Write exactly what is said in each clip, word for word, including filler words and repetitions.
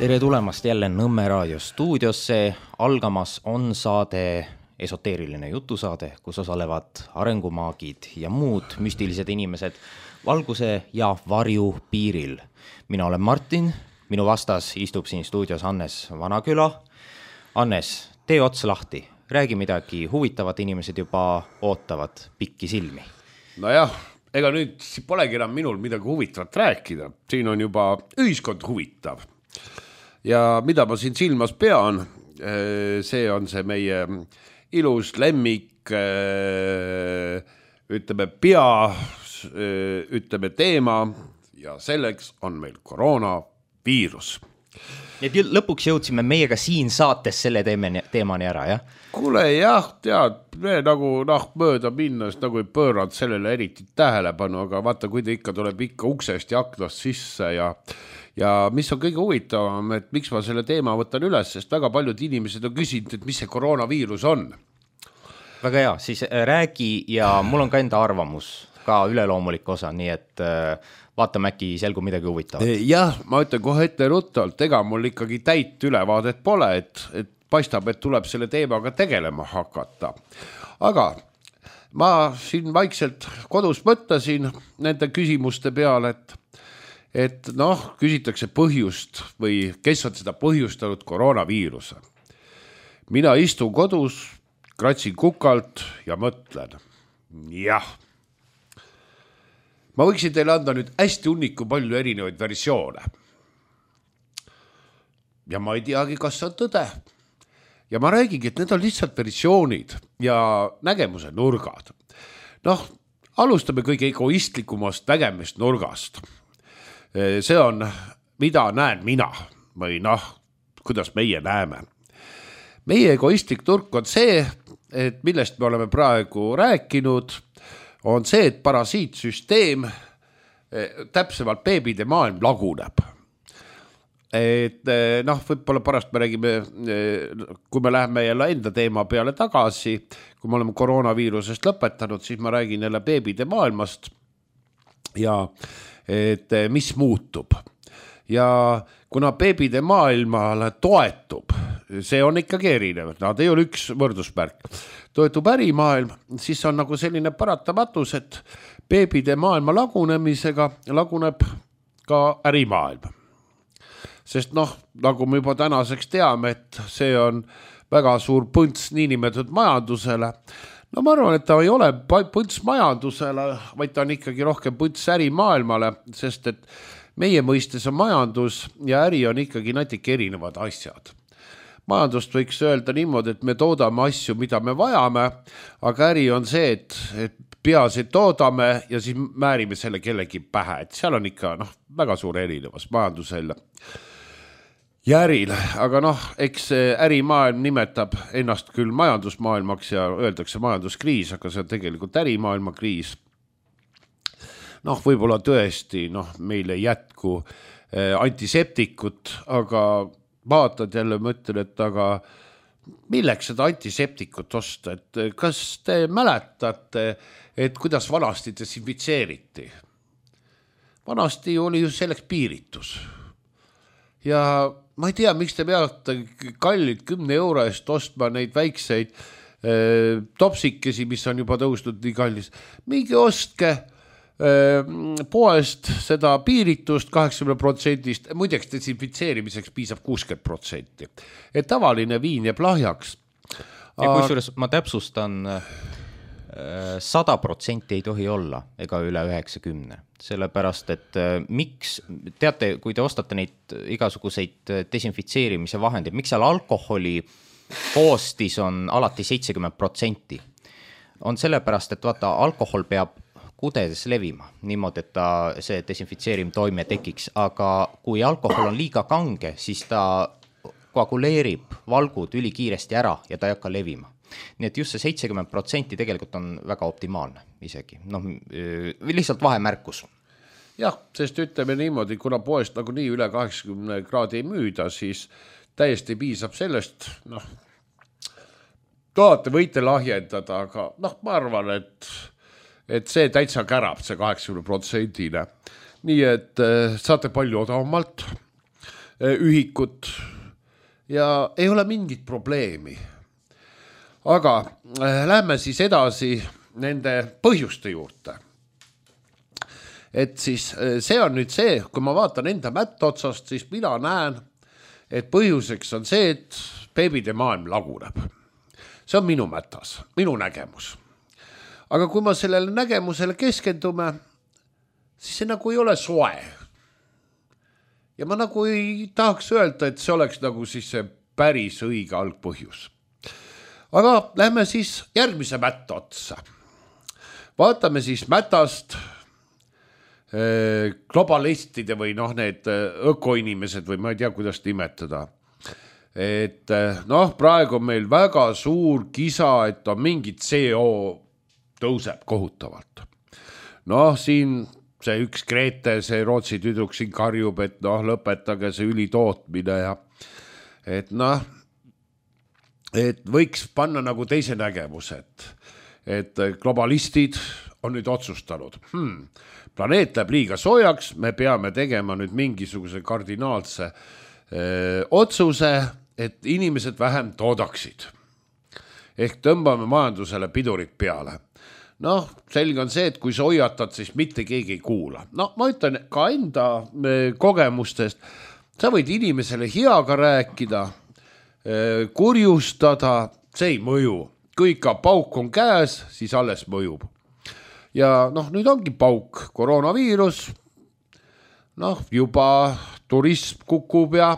Tere tulemast jälle Nõmme raadio stuudiosse. Algamas on saade, esoteeriline jutusaade, kus osalevad arengumaagid ja muud müstilised inimesed valguse ja varju piiril. Mina olen Martin, minu vastas istub siin stuudios Hannes Vanaküla. Hannes, tee ots lahti, räägi midagi huvitavat, inimesed juba ootavad pikki silmi. Nojah, ega nüüd polegi enam minul midagi huvitavat rääkida. Siin on juba ühiskond huvitav. Ja mida ma siin silmas pean, see on see meie ilus lemmik, ütleme pea, ütleme teema ja selleks on meil koroonaviirus. Et lõpuks jõudsime meiega siin saates selle teemani ära, jah? Kuule, jah, tead, me nagu noh, mööda minnes nagu ei pööranud sellele eriti tähelepanu, aga vaata, kui ta ikka tuleb ikka uksest ja aknast sisse ja Ja mis on kõige huvitavam, et miks ma selle teema võtan üles, sest väga paljud inimesed on küsinud, et mis see koroonaviirus on. Väga hea, siis räägi ja mul on ka enda arvamus, ka üleloomulik osa, nii et vaatame äkki selgu midagi huvitavat. Jah, ma ütlen kohe ette ruttalt, ega mul ikkagi täit ülevaadet pole, et, et paistab, et tuleb selle teemaga tegelema hakata. Aga ma siin vaikselt kodus mõtlesin nende küsimuste peale, et et noh, küsitakse põhjust või kes on seda põhjustanud koroonaviiruse. Mina istun kodus, kratsin kukalt ja mõtlen. Jah. Ma võiksin teile anda nüüd hästi hunniku palju erinevaid versioone. Ja ma ei teagi, kas see on tõde. Ja ma räägigi, et need on lihtsalt versioonid ja nägemuse nurgad. Noh, alustame kõige egoistlikumast nägemist nurgast. See on, mida näen mina või noh, kuidas meie näeme. Meie egoistlik turg on see, et millest me oleme praegu rääkinud, on see, et parasiitsüsteem, täpsemalt beebide maailm laguneb. Et noh, võib-olla pärast me räägime, kui me läheme jälle enda teema peale tagasi, kui me oleme koroonaviirusest lõpetanud, siis ma räägin jälle beebide maailmast ja et mis muutub. Ja kuna beebide maailmale toetub, see on ikkagi erinev, nad ei ole üks võrdusmärk, toetub ärimaailm, siis on nagu selline paratamatus, et beebide maailma lagunemisega laguneb ka ärimaailm. Sest noh, nagu me juba tänaseks teame, et see on väga suur põnts niinimetatud majandusele. No ma arvan, et ta ei ole põnts majandusele, vaid ta on ikkagi rohkem põnts ärimaailmale, sest et meie mõistes on majandus ja äri on ikkagi natuke erinevad asjad. Majandust võiks öelda niimoodi, et me toodame asju, mida me vajame, aga äri on see, et, et peaasi toodame ja siis määrime selle kellegi pähe. Et seal on ikka noh, väga suur erinevus majandusel ja äril, aga noh, eks ärimaailm nimetab ennast küll majandusmaailmaks ja öeldakse majanduskriis, aga see on tegelikult ärimaailma kriis. Noh, võib-olla tõesti, noh, meil ei jätku antiseptikut, aga vaatad jälle mõtlen, et aga milleks seda antiseptikut osta, et kas te mäletate, et kuidas vanasti desinfitseeriti? Vanasti oli ju selleks piiritus. Ja ma ei tea, miks te peate kallid kümne euro eest ostma neid väikseid eh, topsikesi, mis on juba tõusnud nii kallis. Mingi ostke eh, poest seda piiritust kaheksakümmend protsenti, muideks desinfitseerimiseks piisab kuuskümmend protsenti. Et tavaline viin jääb lahjaks. Ja kusjuures ma täpsustan, sada protsenti ei tohi olla ega üle üheksakümmend. Sellepärast, et miks, teate, kui te ostate neid igasuguseid desinfitseerimise vahendeid, miks seal alkoholi koostis on alati seitsekümmend protsenti? On sellepärast, et vaata, alkohol peab kudedes levima, niimoodi, et ta see desinfitseerim toime tekiks, aga kui alkohol on liiga kange, siis ta koaguleerib valgud ülikiiresti ära ja ta ei hakka levima. Nii et just see seitsekümmend protsenti tegelikult on väga optimaalne isegi. Noh, lihtsalt vahemärkus. Jah, sest ütleme niimoodi, kuna poest nagu nii üle kaheksakümmend kraadi ei müüda, siis täiesti piisab sellest, noh, tahate võite lahjendada, aga noh, ma arvan, et, et see täitsa kärab, see kaheksakümmend protsenti. Nii et saate palju odavamalt. ühikut ja ei ole mingit probleemi. Aga lähme siis edasi nende põhjuste juurde. Et siis see on nüüd see, kui ma vaatan enda mätta otsast, siis mina näen, et põhjuseks on see, et beebide maailm laguneb. See on minu mätas, minu nägemus. Aga kui ma sellele nägemusele keskendume, siis see nagu ei ole soe. Ja ma nagu ei tahaks öelda, et see oleks nagu siis see päris õige algpõhjus. Aga lähme siis järgmise mätta otsa. Vaatame siis mätast globalistide või noh, need ökoinimesed või ma ei tea, kuidas nimetada. Et noh, praegu on meil väga suur kisa, et on mingit C O tõuseb kohutavalt. Noh, siin see üks Grete, see Rootsi tüdruk siin karjub, et noh, lõpetage see ülitootmine ja et noh, et võiks panna nagu teise nägemus, et, et globalistid on nüüd otsustanud. Hmm, planeet läheb liiga soojaks, me peame tegema nüüd mingisuguse kardinaalse öö, otsuse, et inimesed vähem toodaksid. Ehk tõmbame majandusele pidurit peale. Noh, selge on see, et kui sa hoiatad, siis mitte keegi ei kuula. No ma ütlen ka enda kogemustest, sa võid inimesele heaga rääkida, kurjustada, see ei mõju. Kui ikka pauk on käes, siis alles mõjub. Ja noh, nüüd ongi pauk, koroonaviirus, noh, juba turism kukub ja,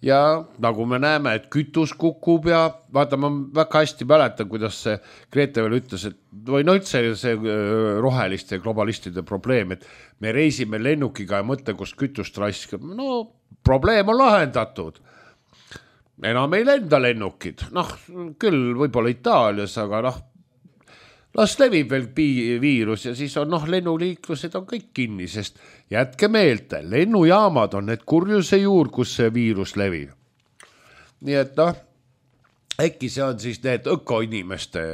ja nagu me näeme, et kütus kukub ja vaata, ma väga hästi mäletan, kuidas see Grete veel ütles, et või no üldse see roheliste ja globalistide probleem, et me reisime lennukiga ja mõtle, kus kütust raiskab. No probleem on lahendatud. Enam ei lenda lennukid. Noh, küll võib-olla Itaalias, aga noh, las levib veel viirus ja siis on noh, lennuliiklused on kõik kinni, sest jätke meelde, lennujaamad on need kurjuse juur, kus see viirus levib. Nii et noh, äkki see on siis need ökoinimeste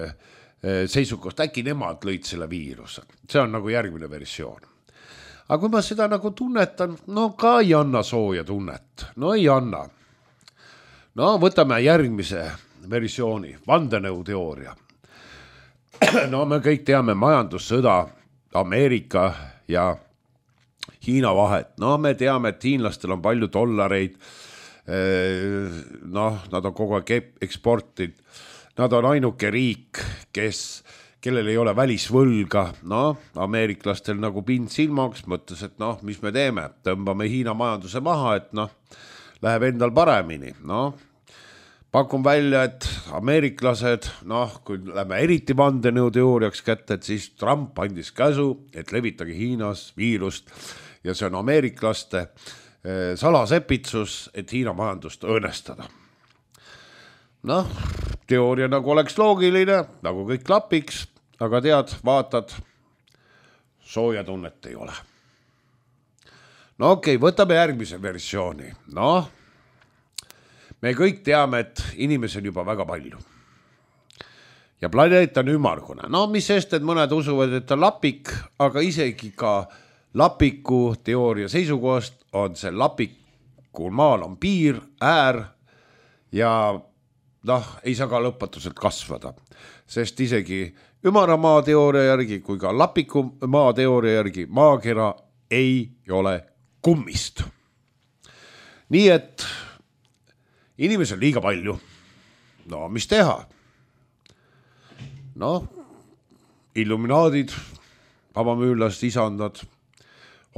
seisukoht, äkki nemad lõid selle viiruse. See on nagu järgmine versioon. Aga kui ma seda nagu tunnetan, no ka ei anna sooja tunnet. No ei anna. No võtame järgmise versiooni, vandenõuteooria. No me kõik teame majandussõda Ameerika ja Hiina vahet. No me teame, et hiinlastel on palju dollareid. Noh, nad on kogu aeg eksportid. Nad on ainuke riik, kes, kellel ei ole välisvõlga. No, ameeriklastel nagu pind silmaks mõttes, et noh, mis me teeme? Tõmbame Hiina majanduse maha, et noh, läheb endal paremini. No, pakun välja, et ameeriklased, noh, kui lähme eriti vandenõuteooriaks kätte, et siis Trump andis käsu, et levitage Hiinas viirust ja see on ameeriklaste salasepitsus, et Hiina majandust õõnestada. Noh, teooria nagu oleks loogiline, nagu kõik klapiks, aga tead, vaatad, sooja tunnet ei ole. No okei, okay, võtame järgmise versiooni. Noh, me kõik teame, et inimesi on juba väga palju. Ja planeet on ümmargune. No mis sest, et mõned usuvad, et on lapik, aga isegi ka lapiku teooria seisukohast on see lapikul maal on piir, äär ja noh, ei saa ka lõpatuselt kasvada. Sest isegi ümara maa teooria järgi kui ka lapiku maa teooria järgi maakera ei ole kummist. Nii et inimesi on liiga palju. No, mis teha? No, illuminaadid, vabamüürlast isandad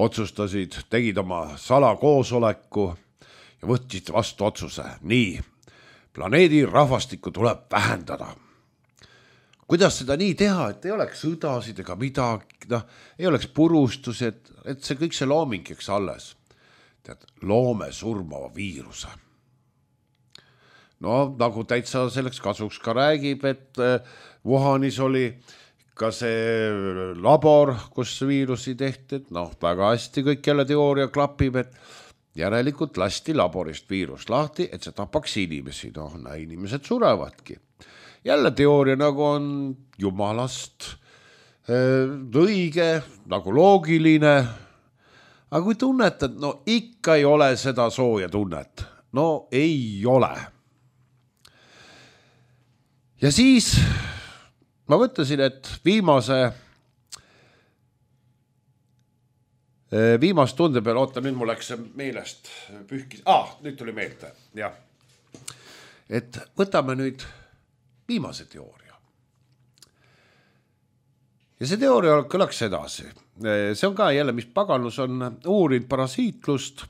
otsustasid, tegid oma salakoosoleku ja võtsid vastu otsuse. Nii, planeedi rahvastikku tuleb vähendada. Kuidas seda nii teha, et ei oleks sõdasid ega midagi, no, ei oleks purustusi, et, et see kõik see loomingiks alles. Tead, loome surmava viiruse. No nagu täitsa selleks kasuks ka räägib, et Wuhanis oli ka see labor, kus viirusi tehti, et noh, väga hästi kõik jälle teooria klapib, et järelikult lasti laborist viirus lahti, et see tapaks inimesi, noh, inimesed surevadki. Jälle teooria nagu on jumalast õige, nagu loogiline, aga kui tunnetad, no ikka ei ole seda sooja tunnet. No ei ole. Ja siis ma mõtlesin, et viimase viimast tunde peale, oota, nüüd mul läks see meelest pühkis. Ah, nüüd tuli meelde, jah. Et võtame nüüd viimase teooria. Ja see teooria kõlaks edasi. See on ka jälle, mis paganus on uurinud parasiitlust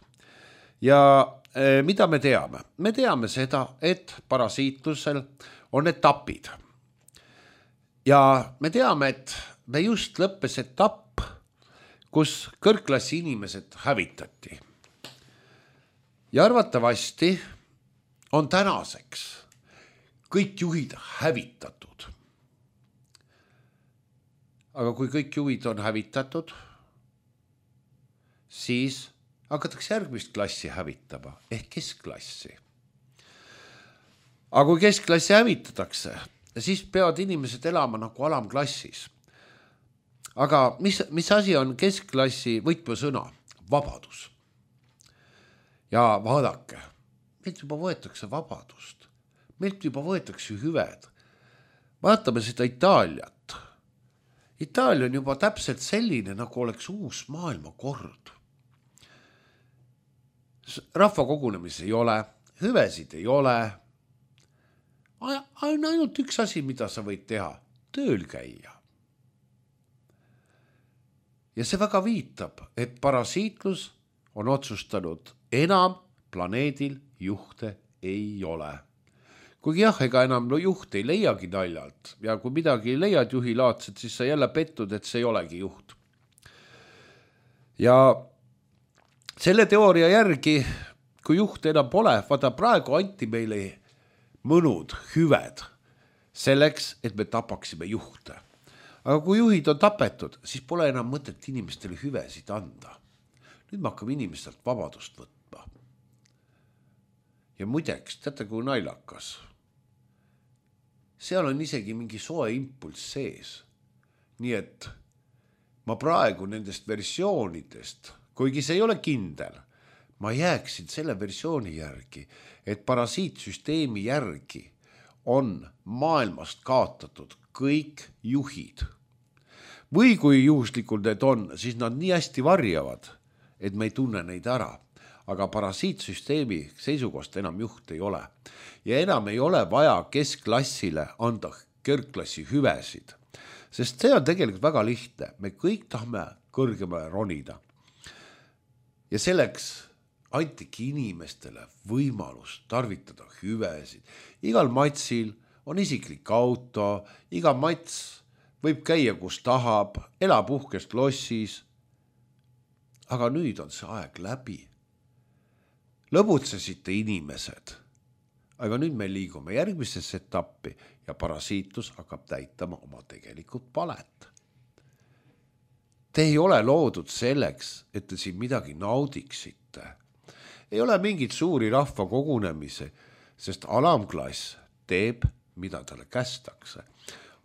ja mida me teame? Me teame seda, et parasiitlusel on etapid. Ja me teame, et me just lõppes etapp, kus kõrgklassi inimesed hävitati. Ja arvatavasti on tänaseks kõik juhid hävitatud. Aga kui kõik juhid on hävitatud, siis hakatakse järgmist klassi hävitama, ehk keskklassi. Aga kui keskklassi hävitatakse, siis peavad inimesed elama nagu alamklassis. Aga mis, mis asi on keskklassi võtmesõna? Vabadus. Ja vaadake, meilt juba võetakse vabadust. Meilt juba võetakse hüved. Vaatame seda Itaaliat. Itaalia on juba täpselt selline, nagu oleks uus maailmakord. Rahva kogunemisi ei ole, hüvesid ei ole. On ainult üks asi, mida sa võid teha. Tööl käia. Ja see väga viitab, et parasiitlus on otsustanud enam planeedil juhte ei ole. Kuigi jah, ega enam no juht ei leiagi naljalt ja kui midagi leiad juhi laadset, siis sa jälle pettud, et see ei olegi juht. Ja selle teooria järgi, kui juht enam pole, vaata praegu anti meile mõnud hüved selleks, et me tapaksime juhte. Aga kui juhid on tapetud, siis pole enam mõtet inimestele hüvesid anda. Nüüd me hakkame inimestelt vabadust võtma. Ja muideks, teate kui nailakas. Seal on isegi mingi soe impulss sees. Nii et ma praegu nendest versioonidest, kuigi see ei ole kindel, ma jääksin selle versiooni järgi, et parasiitsüsteemi järgi on maailmast kaotatud kõik juhid. Või kui juhuslikult need on, siis nad nii hästi varjavad, et me ei tunne neid ära. Aga parasiitsüsteemi seisukohast enam juht ei ole. Ja enam ei ole vaja keskklassile anda kõrgklassi hüvesid. Sest see on tegelikult väga lihtne. Me kõik tahame kõrgemale ronida. Ja selleks antigi inimestele võimalus tarvitada hüvesid. Igal matsil on isiklik auto, iga mats võib käia, kus tahab, elab uhkest lossis. Aga nüüd on see aeg läbi. Lõbutsesite inimesed. Aga nüüd me liigume järgmisesse etappi ja parasiitlus hakkab täitama oma tegelikult palet. Te ei ole loodud selleks, et te siin midagi naudiksite. Ei ole mingit suuri rahva kogunemisi, sest alamklass teeb, mida talle kästakse.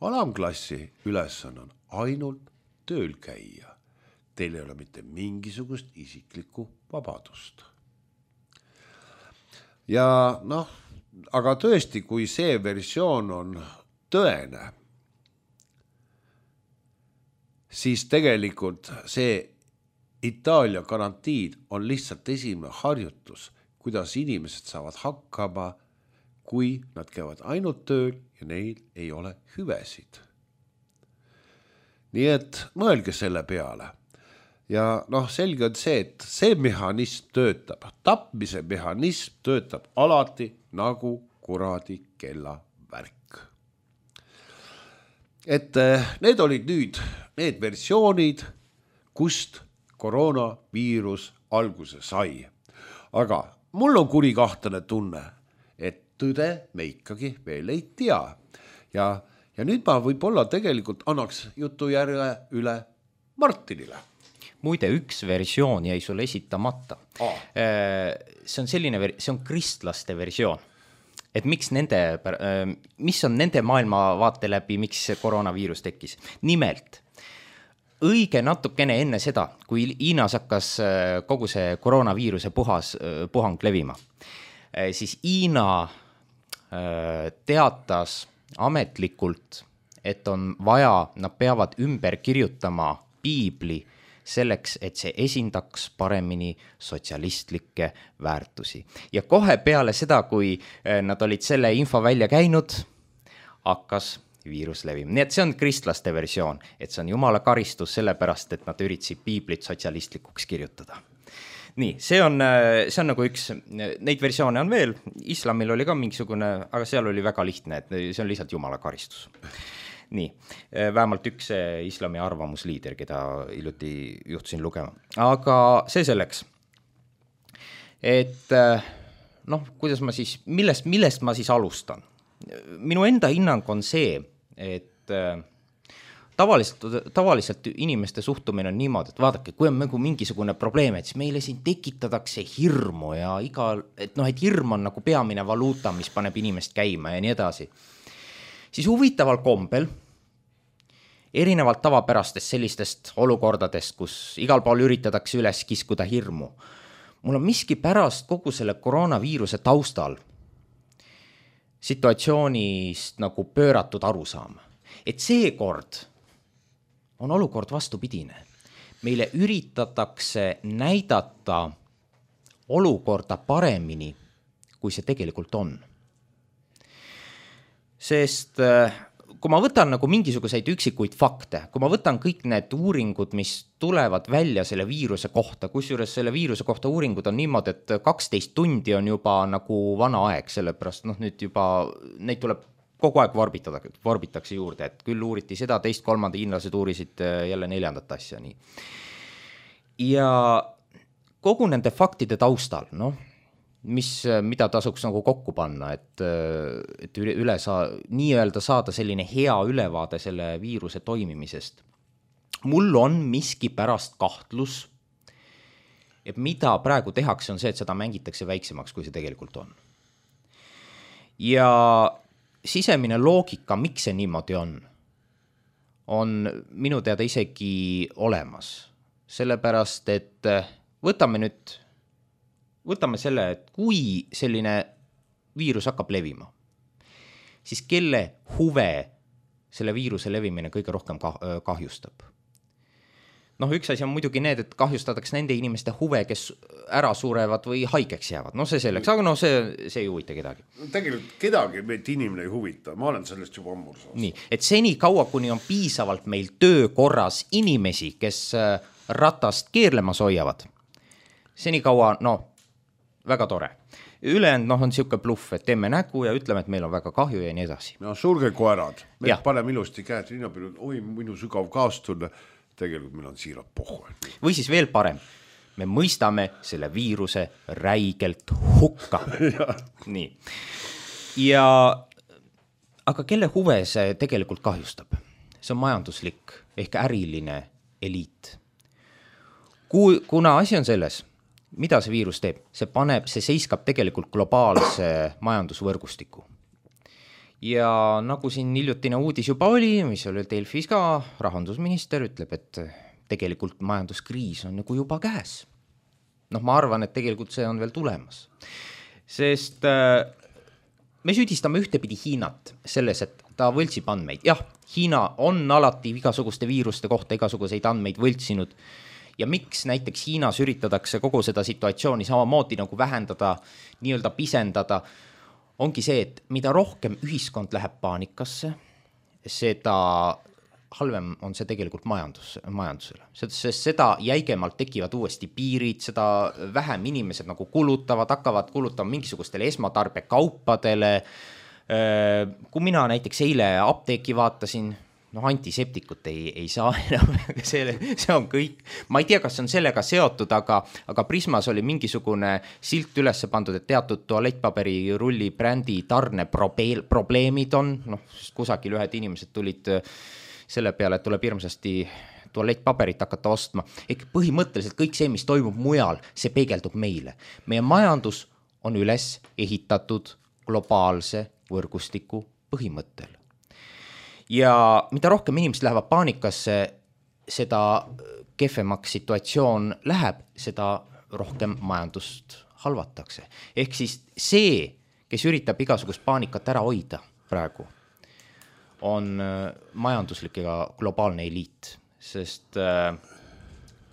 Alamklassi ülesanne on ainult tööl käia. Teil ei ole mitte mingisugust isiklikku vabadust. Ja noh, aga tõesti, kui see versioon on tõene, siis tegelikult see Itaalia garantiid on lihtsalt esimene harjutus, kuidas inimesed saavad hakkama, kui nad käivad ainult tööl ja neil ei ole hüvesid. Nii et mõelge selle peale. Ja noh, selge on see, et see mehhanism töötab. Tapmise mehhanism töötab alati nagu kuradi kella värk. Et need olid nüüd need versioonid, kust koroonaviirus alguse sai. Aga mul on kurikahtlane tunne, et tõde me ikkagi veel ei tea. Ja, ja nüüd ma võib-olla tegelikult annaks jutu järje üle Martinile. Muide, üks versioon jäi sulle esitamata. Ah. See on selline, see on kristlaste versioon. Et miks nende, mis on nende maailmavaate läbi, miks see koroonaviirus tekkis? Nimelt, õige natukene enne seda, kui Hiinas hakkas kogu see koroonaviiruse puhas, puhang levima, siis Hiina teatas ametlikult, et on vaja, nad peavad ümber kirjutama piibli selleks, et see esindaks paremini sotsialistlikke väärtusi. Ja kohe peale seda, kui nad olid selle info välja käinud, hakkas viirus levima. Nii et see on kristlaste versioon, et see on jumala karistus sellepärast, et nad üritasid piiblit sotsialistlikuks kirjutada. Nii, see on, see on nagu üks, neid versioone on veel, islamil oli ka mingisugune, aga seal oli väga lihtne, et see on lihtsalt jumala karistus. Nii, vähemalt üks islami arvamusliider, keda hiljuti juhtusin lugema. Aga see selleks, et noh, kuidas ma siis, millest, millest ma siis alustan? Minu enda hinnang on see, et tavaliselt, tavaliselt inimeste suhtumine on niimoodi, et vaadake, kui on nagu mingisugune probleem, et siis meile siin tekitatakse hirmu ja iga, et noh, et hirm on nagu peamine valuuta, mis paneb inimest käima ja nii edasi. Siis huvitaval kombel, erinevalt tavapärastest sellistest olukordadest, kus igal pool üritatakse üles kiskuda hirmu, mul on miski pärast kogu selle koroonaviiruse taustal situatsioonist nagu pööratud arusaam. Et seekord on olukord vastupidine. Meile üritatakse näidata olukorda paremini, kui see tegelikult on. Sest kui ma võtan nagu mingisuguseid üksikuid fakte, kui ma võtan kõik need uuringud, mis tulevad välja selle viiruse kohta, kusjuures selle viiruse kohta uuringud on niimoodi, et kaksteist tundi on juba nagu vana aeg, sellepärast noh, nüüd juba neid tuleb kogu aeg vorbitada, vorbitakse juurde, et küll uuriti seda, teist, kolmanda, hiinlased uurisid jälle neljandat asja. Nii. Ja kogu nende faktide taustal, noh, mis, mida tasuks nagu kokku panna, et, et üle saa, nii-öelda saada selline hea ülevaade selle viiruse toimimisest. Mul on miski pärast kahtlus, et mida praegu tehakse, on see, et seda mängitakse väiksemaks, kui see tegelikult on. Ja sisemine loogika, miks see niimoodi on, on minu teada isegi olemas. Sellepärast, et võtame nüüd Võtame selle, et kui selline viirus hakkab levima, siis kelle huve selle viiruse levimine kõige rohkem kahjustab? Noh, üks asi on muidugi need, et kahjustatakse nende inimeste huve, kes ära surevad või haigeks jäävad. No see selleks, aga no see, see ei huvita kedagi. Tegelikult kedagi meid inimene ei huvita, ma olen sellest juba ammur saanud. Nii, et seni kaua, kuni on piisavalt meil töökorras inimesi, kes ratast keerlemas hoiavad, seni kaua, no, väga tore. Ülejäänud noh, on siuke bluff, et teeme nägu ja ütleme, et meil on väga kahju ja nii edasi. No surge koerad, me paneme ilusti käed rinnapilu, oi, minu sügav kaastunne, tegelikult meil on siirad pohhu. Või siis veel parem, me mõistame selle viiruse räigelt hukka. Nii. Ja, aga kelle huve see tegelikult kahjustab? See on majanduslik ehk äriline eliit. Kui, kuna asi on selles, mida see viirus teeb? See paneb, see seiskab tegelikult globaalse majandusvõrgustiku. Ja nagu siin hiljutine uudis juba oli, mis oli Delfis ka, rahandusminister ütleb, et tegelikult majanduskriis on nagu juba käes. Noh, ma arvan, et tegelikult see on veel tulemas. Sest äh, me süüdistame ühtepidi Hiinat selles, et ta võltsib andmeid. Jah, Hiina on alati igasuguste viiruste kohta igasuguseid andmeid võltsinud. Ja miks näiteks Hiinas üritadatakse kogu seda situatsiooni samamoodi nagu vähendada, nii-öelda pisendada, ongi see, et mida rohkem ühiskond läheb paanikasse, seda halvem on see tegelikult majandus, majandusele. Sest seda jäigemalt tekivad uuesti piirid, seda vähem inimesed nagu kulutavad, hakkavad kulutama mingisugustele esmatarbekaupadele. Kui mina näiteks eile apteeki vaatasin, noh, antiseptikut ei, ei saa enam, see, see on kõik. Ma ei tea, kas on sellega seotud, aga, aga Prismas oli mingisugune silt üles pandud, et teatud tualettpaberi rulli brändi tarne probeel, probleemid on. Noh, kusagil ühed inimesed tulid selle peale, et tuleb hirmsasti tualettpaberit hakata ostma. Ehk põhimõtteliselt kõik see, mis toimub mujal, see peegeldub meile. Meie majandus on üles ehitatud globaalse võrgustiku põhimõttel. Ja mida rohkem inimesed lähevad paanikasse, seda kehvemaks situatsioon läheb, seda rohkem majandust halvatakse. Ehk siis see, kes üritab igasugust paanikat ära hoida praegu, on majanduslik ja globaalne eliit, sest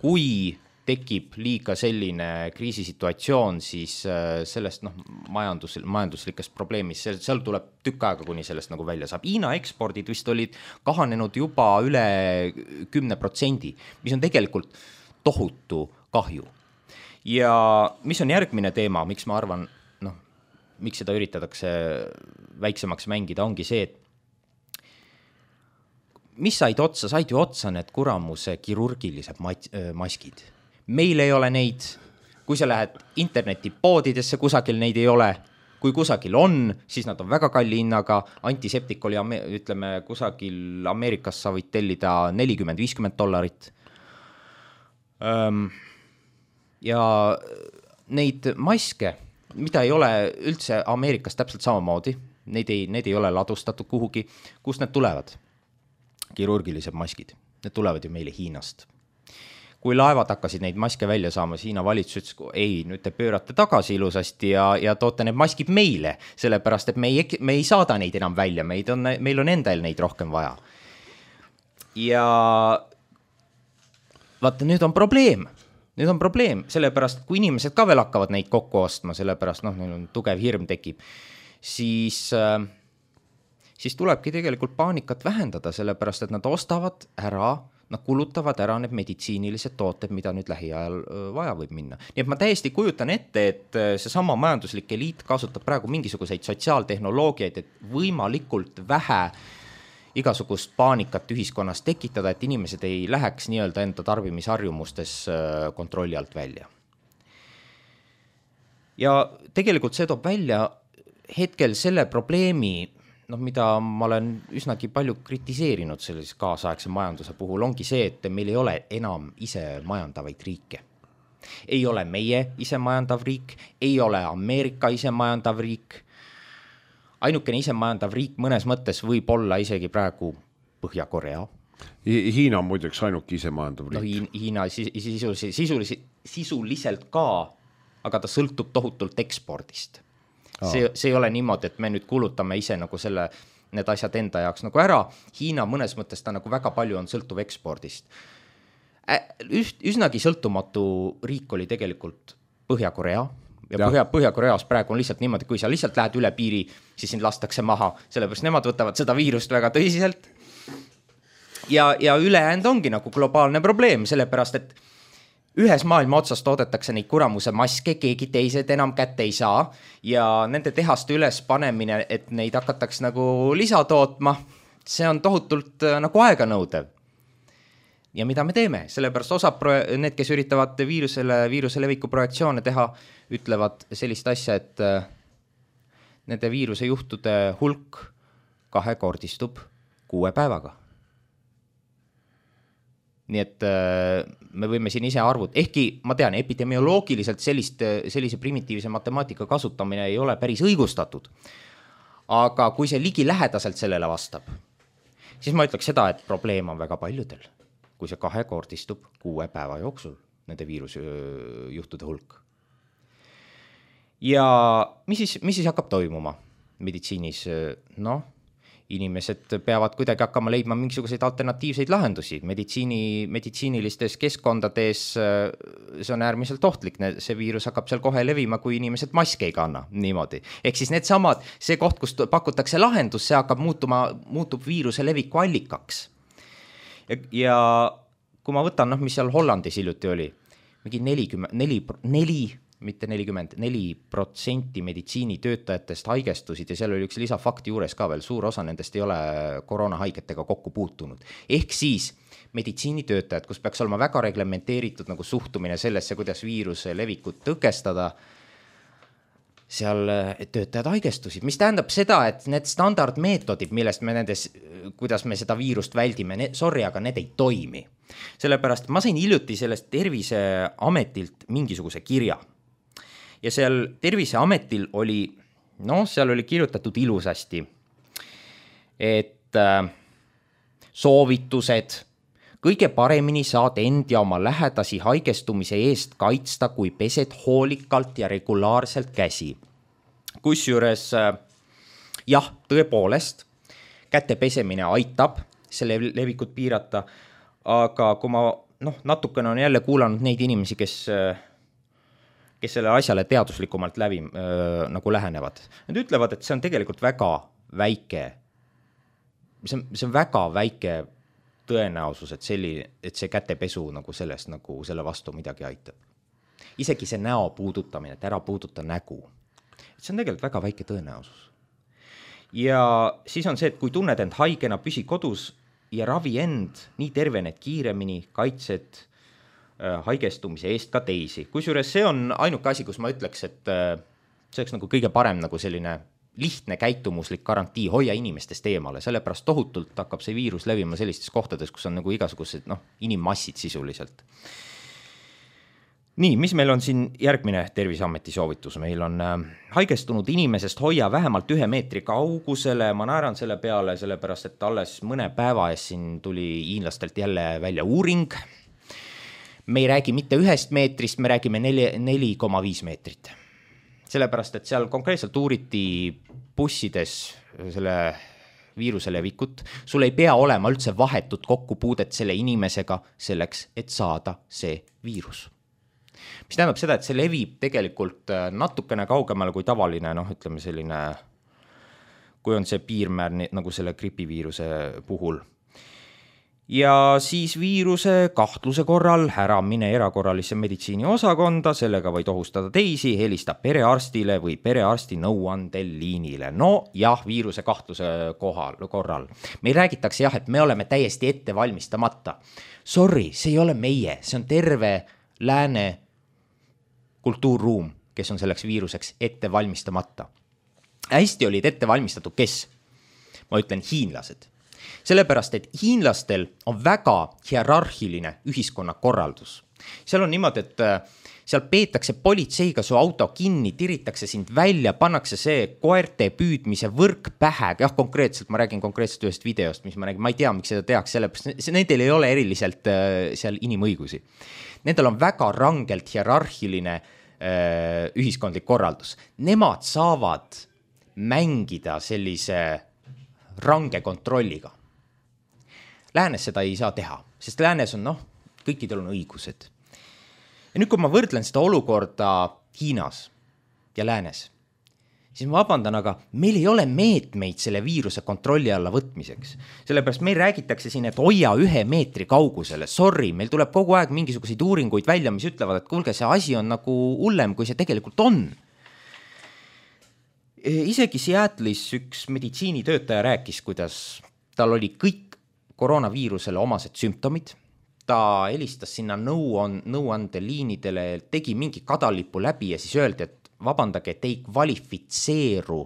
kui tekib liiga selline kriisisituatsioon, siis sellest noh, majandus, majanduslikest probleemist, seal tuleb tükk aega, kuni sellest nagu välja saab. Hiina ekspordid vist olid kahanenud juba üle kümne protsendi, mis on tegelikult tohutu kahju. Ja mis on järgmine teema, miks ma arvan, noh, miks seda üritatakse väiksemaks mängida, ongi see, et mis said otsa, said ju otsa need kuramuse kirurgilised maskid. Meil ei ole neid, kui sa lähed internetipoodidesse, kusagil neid ei ole, kui kusagil on, siis nad on väga kalli hinnaga, antiseptik oli, ütleme, kusagil Ameerikas sa võid tellida nelikümmend viiskümmend dollarit. Ja neid maske, mida ei ole üldse Ameerikas täpselt samamoodi, neid ei, need ei ole ladustatud kuhugi, kust need tulevad? Kirurgilised maskid, need tulevad ju meile Hiinast. Kui laevad hakkasid neid maske välja saama, Hiina valitsus ütles, ei, nüüd te pöörate tagasi ilusasti ja, ja toote need maskid meile, sellepärast, et me ei, me ei saada neid enam välja, meid on, meil on endal neid rohkem vaja. Ja vaata, nüüd on probleem, nüüd on probleem, sellepärast, kui inimesed ka veel hakkavad neid kokku ostma, sellepärast, noh, neil on tugev hirm tekib, siis, siis tulebki tegelikult paanikat vähendada, sellepärast, et nad ostavad ära, nad kulutavad ära need meditsiinilised tooted, mida nüüd lähiajal vaja võib minna. Nii et ma täiesti kujutan ette, et see sama majanduslik eliit kasutab praegu mingisuguseid sotsiaaltehnoloogiaid, et võimalikult vähe igasugust paanikat ühiskonnas tekitada, et inimesed ei läheks nii-öelda enda tarbimisharjumustes kontrolli alt välja. Ja tegelikult see toob välja hetkel selle probleemi, noh, mida ma olen üsnagi palju kritiseerinud sellise kaasaegse majanduse puhul, ongi see, et meil ei ole enam ise majandavaid riike. Ei ole meie ise majandav riik, ei ole Ameerika ise majandav riik. Ainukene ise majandav riik mõnes mõttes võib olla isegi praegu Põhja-Korea. Hiina on muideks ainuke ise majandav riik. No, Hiina sisuliselt, sisuliselt, sisuliselt ka, aga ta sõltub tohutult ekspordist. See, see ei ole niimoodi, et me nüüd kulutame ise nagu selle, need asjad enda jaoks nagu ära. Hiina mõnes mõttes ta nagu väga palju on sõltuv ekspordist. Üst, üsnagi sõltumatu riik oli tegelikult Põhja-Korea ja, ja. Põhja, Põhja-Koreas praegu on lihtsalt niimoodi, kui sa lihtsalt lähed üle piiri, siis sind lastakse maha, sellepärast nemad võtavad seda viirust väga tõsiselt. Ja, ja ülejäänud ongi nagu globaalne probleem, sellepärast, et ühes maailma otsas toodetakse neid kuramuse maske, keegi teised enam kätte ei saa ja nende tehaste üles panemine, et neid hakataks nagu lisa tootma, see on tohutult nagu aega nõudev. Ja mida me teeme? Sellepärast osa need, kes üritavad viirusele, viiruse leviku projektsioone teha, ütlevad sellist asja, et nende viiruse juhtude hulk kahekordistub kuue päevaga. Nii et me võime siin ise arvud, ehkki ma tean, epidemioloogiliselt sellist, sellise primitiivse matemaatika kasutamine ei ole päris õigustatud. Aga kui see ligi lähedaselt sellele vastab, siis ma ütleks seda, et probleem on väga paljudel, kui see kahekordistub kuue päeva jooksul nende viirusjuhtude hulk. Ja mis siis, mis siis hakkab toimuma meditsiinis? Noh, inimesed peavad kuidagi hakkama leidma mingisuguseid alternatiivseid lahendusi. Meditsiini, meditsiinilistes keskkondades see on äärmiselt ohtlik. See viirus hakkab seal kohe levima, kui inimesed maske ei kanna. Niimoodi. Ehk siis need samad, see koht, kus pakutakse lahendus, see hakkab muutuma, muutub viiruse leviku allikaks. Ja, ja kui ma võtan, noh, mis seal Hollandis hiljuti oli, mingi nelikümmend, neli, neli mitte nelikümmend, neli protsenti meditsiinitöötajatest haigestusid ja seal oli üks lisafakti juures ka veel, suur osa nendest ei ole koroonahaigetega kokku puutunud. Ehk siis meditsiinitöötajad, kus peaks olema väga reglementeeritud nagu suhtumine sellesse, kuidas viiruse levikut tõkestada, seal töötajad haigestusid, mis tähendab seda, et need standardmeetodid, millest me nendes, kuidas me seda viirust väldime, need, sorry, aga need ei toimi. Sellepärast ma sain hiljuti sellest Terviseametilt mingisuguse kirja. Ja seal Terviseametil oli, noh, seal oli kirjutatud ilusasti, et äh, soovitused kõige paremini saad end ja oma lähedasi haigestumise eest kaitsta, kui pesed hoolikalt ja regulaarselt käsi. Kusjuures jah, tõepoolest, käte pesemine aitab selle levikut piirata, aga kui ma noh, natukene on jälle kuulanud neid inimesi, kes kes selle asjale teaduslikumalt läbi äh, nagu lähenevad. Nad ütlevad, et see on tegelikult väga väike, see on, see on väga väike tõenäosus, et, selline, et see kätepesu nagu sellest nagu selle vastu midagi aitab. Isegi see näo puudutamine, et ära puuduta nägu. See on tegelikult väga väike tõenäosus. Ja siis on see, et kui tunned end haigena, püsi kodus ja ravi end, nii tervened kiiremini, kaitsed haigestumise eest ka teisi. Kusjuures see on ainuke asi, kus ma ütleks, et see oleks nagu kõige parem nagu selline lihtne käitumuslik garantii, hoia inimestest eemale, sellepärast tohutult hakkab see viirus levima sellistes kohtades, kus on nagu igasugused noh, inimmassid sisuliselt. Nii, mis meil on siin järgmine Terviseameti soovitus? Meil on haigestunud inimesest hoia vähemalt ühe meetri kaugusele, ma naeran selle peale, sellepärast et alles mõne päeva ees siin tuli hiinlastelt jälle välja uuring. Me ei räägi mitte ühest meetrist, me räägime neli koma viis meetrit. Sellepärast, et seal konkreetselt uuriti bussides selle viiruse levikut. Sul ei pea olema üldse vahetut kokkupuudet selle inimesega selleks, et saada see viirus. Mis tähendab seda, et see levib tegelikult natukene kaugemale kui tavaline, noh, ütleme selline, kui on see piirmäär nagu selle gripiviiruse puhul. Ja siis viiruse kahtluse korral ära mine erakorralisse meditsiini osakonda, sellega võid ohustada teisi, helista perearstile või perearsti nõuandel liinile. No jah, viiruse kahtluse kohal, korral. Meil räägitakse jah, et me oleme täiesti ette valmistamata. Sorry, see ei ole meie, see on terve lääne kultuurruum, kes on selleks viiruseks ette valmistamata. Hästi olid ette valmistatud, kes? Ma ütlen hiinlased. Sellepärast, et hiinlastel on väga hierarhiline ühiskonnakorraldus. Seal on niimoodi, et seal peetakse politseiga su auto kinni, tiritakse sind välja, pannakse see koerte püüdmise võrk pähe. Jah, konkreetselt, ma räägin konkreetselt ühest videost, mis ma räägin, ma ei tea, miks seda tehakse, sellepärast nendel ei ole eriliselt seal inimõigusi. Nendel on väga rangelt hierarhiline äh, ühiskondlik korraldus. Nemad saavad mängida sellise range kontrolliga. Läänes seda ei saa teha, sest läänes on, noh, kõikidel on õigused. Ja nüüd, kui ma võrdlen seda olukorda Hiinas ja läänes, siis ma vabandan, aga meil ei ole meetmeid selle viiruse kontrolli alla võtmiseks. Sellepärast meil räägitakse siin, et hoia ühe meetri kaugusele. Sorry, meil tuleb kogu aeg mingisuguseid uuringuid välja, mis ütlevad, et kuulge, see asi on nagu hullem, kui see tegelikult on. Isegi Seattle'is üks meditsiinitöötaja rääkis, kuidas tal oli kõik koroonaviirusele omased sümptomid. Ta helistas sinna nõuandeliinidele, tegi mingi kadalipu läbi ja siis öeldi, et vabandage, et ei kvalifitseeru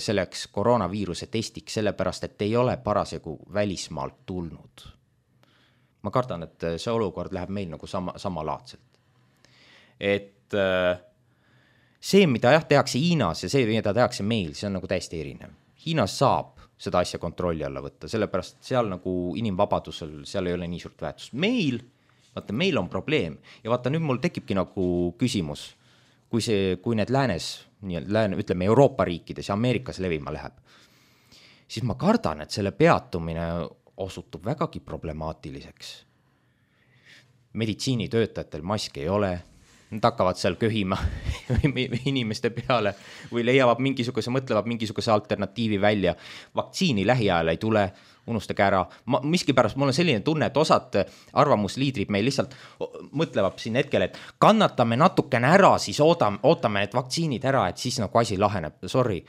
selleks koroonaviiruse testiks, sellepärast, et ei ole parasjagu välismaalt tulnud. Ma kardan, et see olukord läheb meil nagu sama, samalaadselt. Et see, mida jah, tehakse Hiinas ja see, mida tehakse meil, see on nagu täiesti erinev. Hiinas saab seda asja kontrolli alla võtta, sellepärast seal nagu inimvabadusel, seal ei ole nii suurt väärtust. Meil, vaata, meil on probleem ja vaata, nüüd mul tekibki nagu küsimus, kui see, kui need läänes, nii, lääne, ütleme Euroopa riikides ja Ameerikas levima läheb, siis ma kardan, et selle peatumine osutub vägagi problemaatiliseks. Meditsiinitöötajatel maske ei ole, nad hakkavad seal köhima inimeste peale või leiavad mingisuguse, mõtlevad mingisuguse alternatiivi välja. Vaktsiini lähiajal ei tule, unustage ära. Ma, miski pärast mul on selline tunne, et osad arvamusliidrid meil lihtsalt mõtlevad siin hetkel, et kannatame natukene ära, siis ootame, ootame need vaktsiinid ära, et siis nagu asi laheneb. Sorry,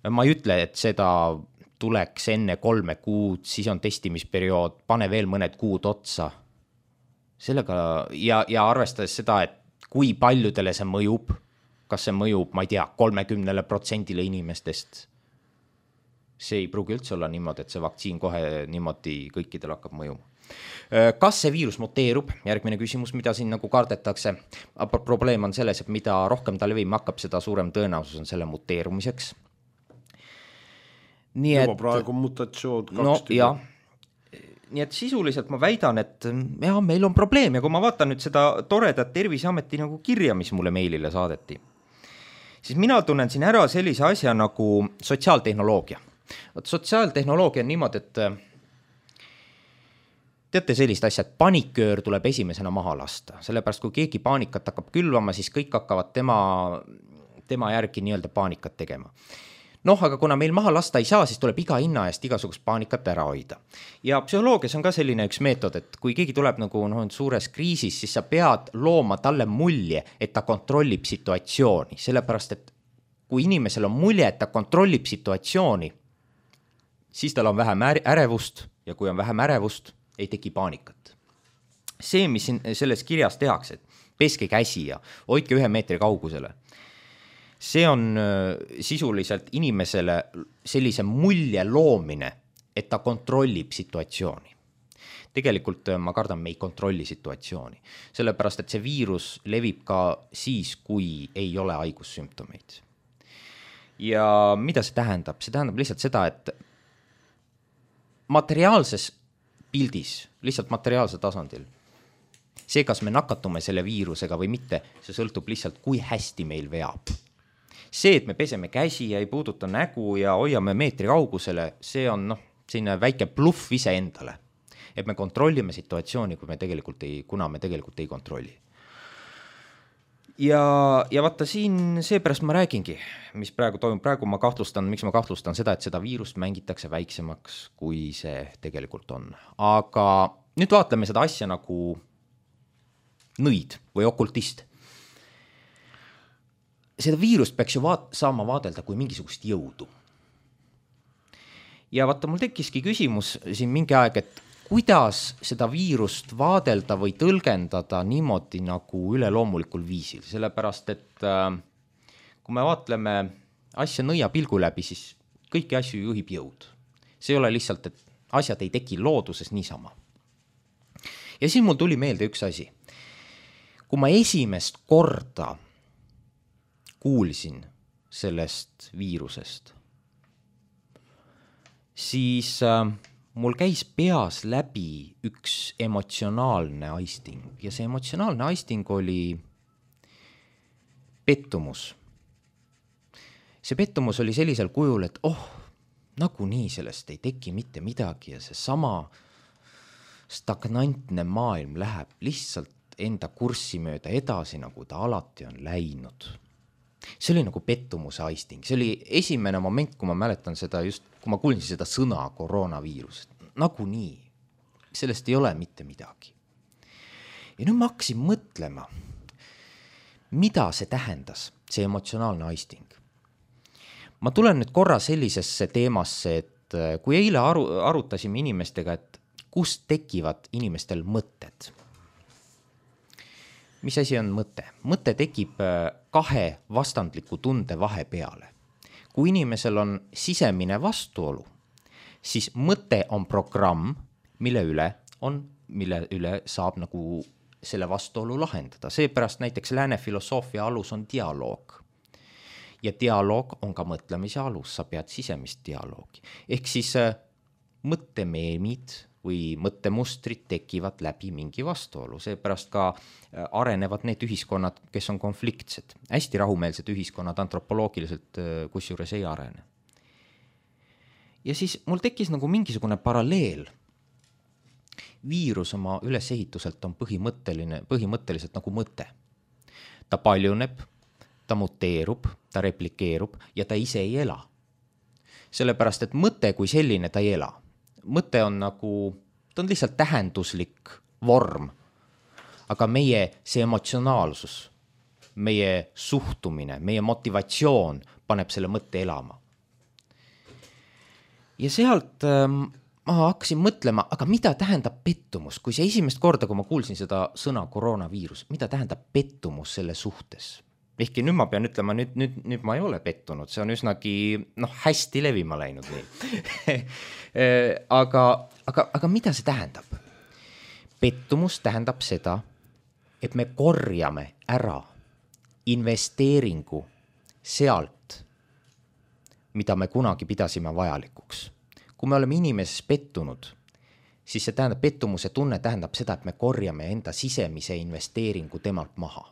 ma ei ütle, et seda tuleks enne kolme kuud, siis on testimisperiood, pane veel mõned kuud otsa. Sellega ja, ja arvestades seda, et kui paljudele see mõjub, kas see mõjub, ma ei tea, kolmekümnele protsendile inimestest. See ei pruugi üldse olla niimoodi, et see vaktsiin kohe niimoodi kõikidel hakkab mõjuma. Kas see viirus muteerub? Järgmine küsimus, mida siin nagu kardetakse. Probleem on selles, et mida rohkem ta levima hakkab, seda suurem tõenäosus on selle muteerumiseks. Nii Juba et, praegu mutatsioon kaks no, tüübi. Ja, nii et sisuliselt ma väidan, et jah, meil on probleem ja kui ma vaatan nüüd seda toredat Terviseameti nagu kirja, mis mulle meilile saadeti, siis mina tunnen siin ära sellise asja nagu sotsiaaltehnoloogia. Võt, sotsiaaltehnoloogia on niimoodi, et teate sellist asja, et paniköör tuleb esimesena maha lasta. Sellepärast, kui keegi paanikat hakkab külvama, siis kõik hakkavad tema, tema järgi nii-öelda paanikat tegema. Noh, aga kuna meil maha lasta ei saa, siis tuleb iga hinna eest igasugust paanikat ära hoida. Ja psühholoogias on ka selline üks meetod, et kui keegi tuleb nagu no, suures kriisis, siis sa pead looma talle mulje, et ta kontrollib situatsiooni. Sellepärast, et kui inimesel on mulje, et ta kontrollib situatsiooni, siis tal on vähem ärevust ja kui on vähem ärevust, ei teki paanikat. See, mis siin selles kirjas tehakse, et peske käsi ja hoidke ühe meetri kaugusele, see on sisuliselt inimesele sellise mulje loomine, et ta kontrollib situatsiooni. Tegelikult ma kardan, me ei kontrolli situatsiooni. Sellepärast, et see viirus levib ka siis, kui ei ole haigussümptomeid. Ja mida see tähendab? See tähendab lihtsalt seda, et materiaalses pildis, lihtsalt materiaalsel tasandil, see, kas me nakatume selle viirusega või mitte, see sõltub lihtsalt, kui hästi meil veab. See, et me peseme käsi ja ei puuduta nägu ja hoiame meetri kaugusele, see on noh, selline väike bluff ise endale. Et me kontrollime situatsiooni, kui me tegelikult ei, kuna me tegelikult ei kontrolli. Ja, ja vaata siin seepärast ma räägingi, mis praegu toimub. Praegu ma kahtlustan, miks ma kahtlustan seda, et seda viirust mängitakse väiksemaks, kui see tegelikult on. Aga nüüd vaatleme seda asja nagu nõid või okultist. Seda viirust peaks ju vaat- saama vaadelda kui mingisugust jõudu. Ja vaata, mul tekkiski küsimus siin mingi aeg, et kuidas seda viirust vaadelda või tõlgendada niimoodi nagu üleloomulikul viisil. Sellepärast, et äh, kui me vaatleme asja nõia pilgu läbi, siis kõiki asju juhib jõud. See ei ole lihtsalt, et asjad ei teki looduses niisama. Ja siin mul tuli meelde üks asi. Kui ma esimest korda kuulsin sellest viirusest, siis äh, mul käis peas läbi üks emotsionaalne aisting ja see emotsionaalne aisting oli pettumus. See pettumus oli sellisel kujul, et oh, nagu nii sellest ei teki mitte midagi ja see sama stagnantne maailm läheb lihtsalt enda kurssi mööda edasi, nagu ta alati on läinud. See oli nagu pettumuse aisting. See oli esimene moment, kui ma mäletan seda just, kui ma kuulsin seda sõna koroonaviirus. Nagu nii. Sellest ei ole mitte midagi. Ja nüüd ma hakkasin mõtlema, mida see tähendas, see emotsionaalne aisting. Ma tulen nüüd korra sellisesse teemasse, et kui eile aru, arutasime inimestega, et kust tekivad inimestel mõtted. Mis asi on mõte? Mõte tekib kahe vastandliku tunde vahe peale. Kui inimesel on sisemine vastuolu, siis mõte on programm, mille üle, on, mille üle saab nagu selle vastuolu lahendada. Seepärast näiteks lääne filosoofia alus on dialoog. Ja dialoog on ka mõtlemise alus, sa pead sisemist dialoogi. Ehk siis mõttemeemid või mõttemustrid tekivad läbi mingi vastuolu. Seepärast ka arenevad need ühiskonnad, kes on konfliktsed. Hästi rahumeelsed ühiskonnad antropoloogiliselt kusjuures ei arene. Ja siis mul tekkis nagu mingisugune paralleel. Viirus oma ülesehituselt on põhimõtteline, põhimõtteliselt nagu mõte. Ta paljuneb, ta muteerub, ta replikeerub ja ta ise ei ela. Sellepärast, et mõte kui selline ta ei ela. Mõte on nagu, ta on lihtsalt tähenduslik vorm, aga meie see emotsionaalsus, meie suhtumine, meie motivatsioon paneb selle mõtte elama. Ja sealt ähm, ma hakkasin mõtlema, aga mida tähendab pettumus, kui see esimest korda, kui ma kuulsin seda sõna koroonaviirus, mida tähendab pettumus selle suhtes? Ehkki nüüd ma pean ütlema, nüüd, nüüd, nüüd ma ei ole pettunud, see on üsnagi noh, hästi levima läinud nii. aga, aga, aga mida see tähendab? Pettumus tähendab seda, et me korjame ära investeeringu sealt, mida me kunagi pidasime vajalikuks. Kui me oleme inimeses pettunud, siis see tähendab, pettumuse tunne tähendab seda, et me korjame enda sisemise investeeringu temalt maha.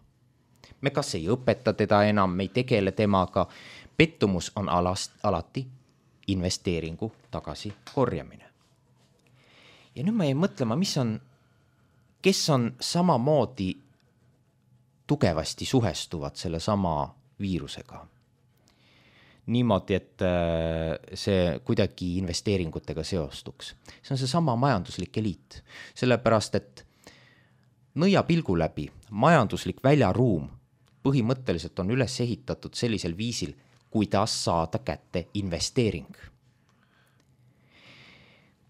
Me kas ei õpeta teda enam, me ei tegele temaga. Pettumus on alast, alati investeeringu tagasi korjamine. Ja nüüd ma jäin mõtlema, mis on, kes on samamoodi tugevasti suhestuvad selle sama viirusega. Niimoodi, et see kuidagi investeeringutega seostuks. See on see sama majanduslik eliit. Sellepärast, et nõia pilgu läbi majanduslik väljaruum põhimõtteliselt on üles ehitatud sellisel viisil, kuidas saada kätte investeering.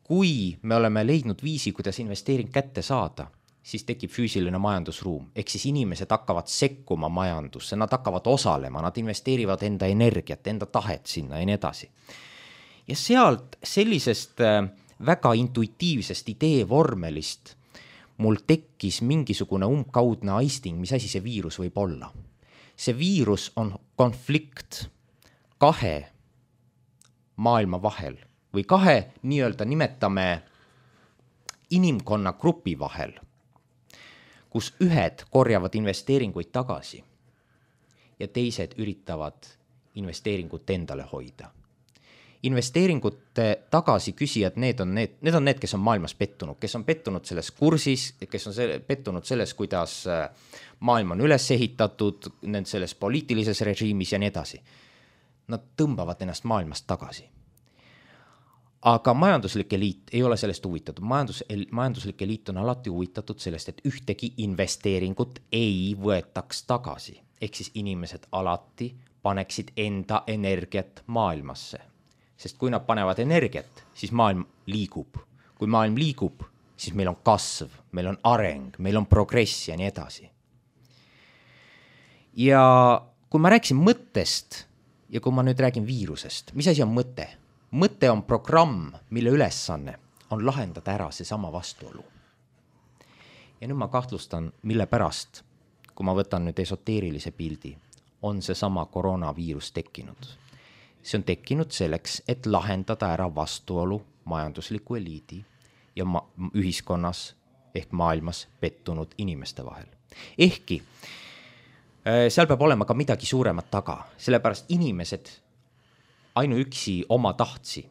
Kui me oleme leidnud viisi, kuidas investeering kätte saada, siis tekib füüsiline majandusruum. Ehk siis inimesed hakkavad sekkuma majandusse, nad hakkavad osalema, nad investeerivad enda energiat, enda tahet sinna ja nii edasi. Ja sealt sellisest väga intuitiivsest ideevormelist mul tekkis mingisugune umbkaudne aisting, mis asi see viirus võib olla. See viirus on konflikt kahe maailma vahel või kahe nii-öelda nimetame inimkonna grupi vahel, kus ühed korjavad investeeringuid tagasi ja teised üritavad investeeringut endale hoida. Investeeringute tagasi küsijad, need on need, need on need, kes on maailmas pettunud, kes on pettunud selles kursis, kes on selle, pettunud selles, kuidas maailm on üles ehitatud, selles poliitilises režiimis ja nii edasi. Nad tõmbavad ennast maailmast tagasi. Aga majanduslik eliit ei ole sellest huvitatud. Majandus, majanduslik eliit on alati huvitatud sellest, et ühtegi investeeringut ei võetaks tagasi. Ehk siis inimesed alati paneksid enda energiat maailmasse. Sest kui nad panevad energiat, siis maailm liigub. Kui maailm liigub, siis meil on kasv, meil on areng, meil on progress ja nii edasi. Ja kui ma rääkisin mõttest ja kui ma nüüd räägin viirusest, mis asi on mõte? Mõte on programm, mille ülesanne on lahendada ära see sama vastuolu. Ja nüüd ma kahtlustan, mille pärast, kui ma võtan nüüd esoteerilise pildi, on see sama koroonaviirus tekkinud. See on tekkinud selleks, et lahendada ära vastuolu majandusliku eliidi ja ma- ühiskonnas ehk maailmas pettunud inimeste vahel. Ehkki seal peab olema ka midagi suuremat taga, sellepärast inimesed ainuüksi oma tahtsi